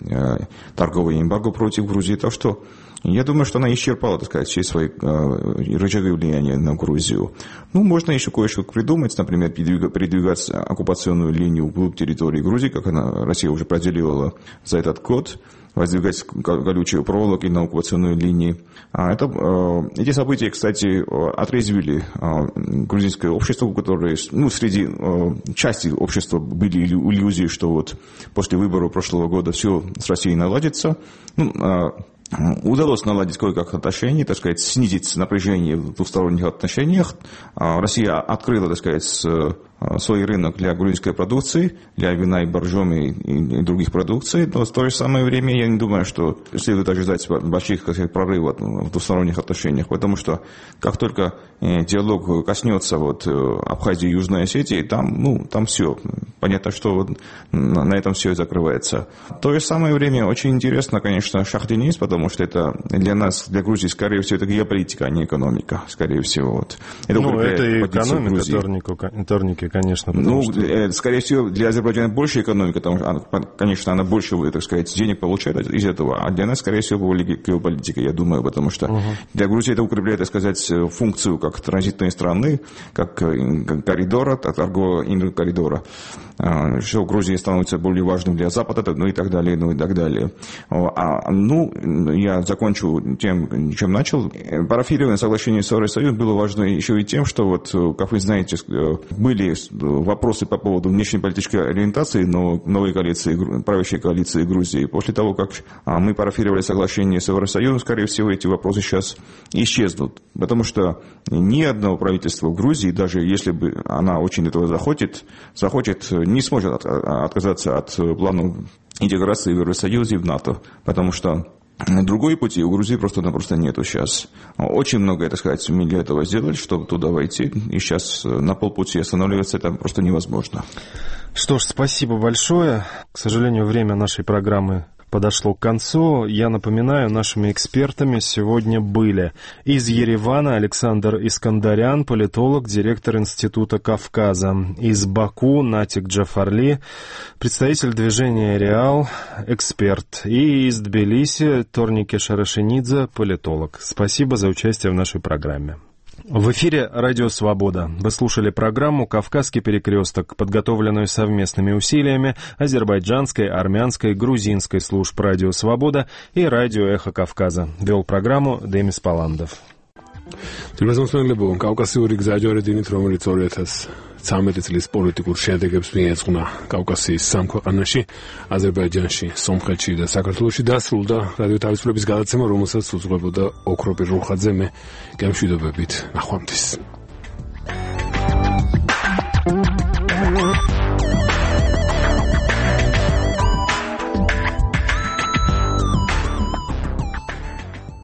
торговый эмбарго против Грузии, так что я думаю, что она исчерпала, так сказать, все свои э, рычаги влияния на Грузию. Ну, можно еще кое-что придумать, например, передвигать оккупационную линию вглубь территории Грузии, как она, Россия уже проделила за этот год, воздвигать колючие проволоки на оккупационной линии. А это, э, эти события, кстати, отрезвили э, грузинское общество, которое, ну, среди э, части общества были иллюзии, что вот после выборов прошлого года все с Россией наладится. Ну, э, Удалось наладить кое-как отношения, так сказать, снизить напряжение в двусторонних отношениях. Россия открыла, так сказать, свой рынок для грузинской продукции, для вина и боржоми и других продукций, но в то же самое время я не думаю, что следует ожидать больших, так сказать, прорывов в двусторонних отношениях, потому что как только диалог коснется вот Абхазии и Южной Осетии, там, ну, там все. Понятно, что вот на этом все и закрывается. В то же самое время очень интересно, конечно, Шахтанис, потому что это для нас, для Грузии, скорее всего, это геополитика, а не экономика, скорее всего. Вот. Это ну, это и экономика, Торнике конечно. Ну, что... э, скорее всего, для Азербайджана больше экономика, потому что, она, конечно, она больше, так сказать, денег получает из этого, а для нас, скорее всего, более геополитика, я думаю, потому что uh-huh. для Грузии это укрепляет, так сказать, функцию как транзитной страны, как коридора, торгового коридора, что Грузия становится более важным для Запада, ну и так далее, ну и так далее. А, ну, я закончу тем, чем начал. Парафирование соглашения с Евросоюзом было важно еще и тем, что вот, как вы знаете, были вопросы по поводу внешнеполитической ориентации новой коалиции, правящей коалиции Грузии. После того, как мы парафировали соглашение с Евросоюзом, скорее всего, эти вопросы сейчас исчезнут. Потому что ни одного правительства в Грузии, даже если бы она очень этого захочет, захочет не сможет отказаться от плана интеграции в Евросоюз и в НАТО, потому что другой пути у Грузии просто-напросто нету сейчас. Очень многое, так сказать, мы для этого сделали, чтобы туда войти, и сейчас на полпути останавливаться это просто невозможно. Что ж, спасибо большое. К сожалению, время нашей программы подошло к концу. Я напоминаю, нашими экспертами сегодня были из Еревана Александр Искандарян, политолог, директор Института Кавказа, из Баку Натик Джафарли, представитель движения «Реал», эксперт, и из Тбилиси Торники Шарашенидзе, политолог. Спасибо за участие в нашей программе. В эфире «Радио Свобода». Вы слушали программу «Кавказский перекресток», подготовленную совместными усилиями азербайджанской, армянской, грузинской служб «Радио Свобода» и «Радио Эхо Кавказа». Вел программу Демис Паландов. კავკასიური გზაჯვარედინით, რომელიც ორი ათას ცხრამეტი წლის პოლიტიკურ შედეგებს მიეძღვნა კავკასიის სამ ქვეყანაში, აზერბაიჯანში, სომხეთში და საქართველოში დასრულდა რადიო თავისუფლების გადაცემა, რომელსაც უძღვებოდა ოქროპირ რუხაძე. მე გემშვიდობებით, ნახვამდის.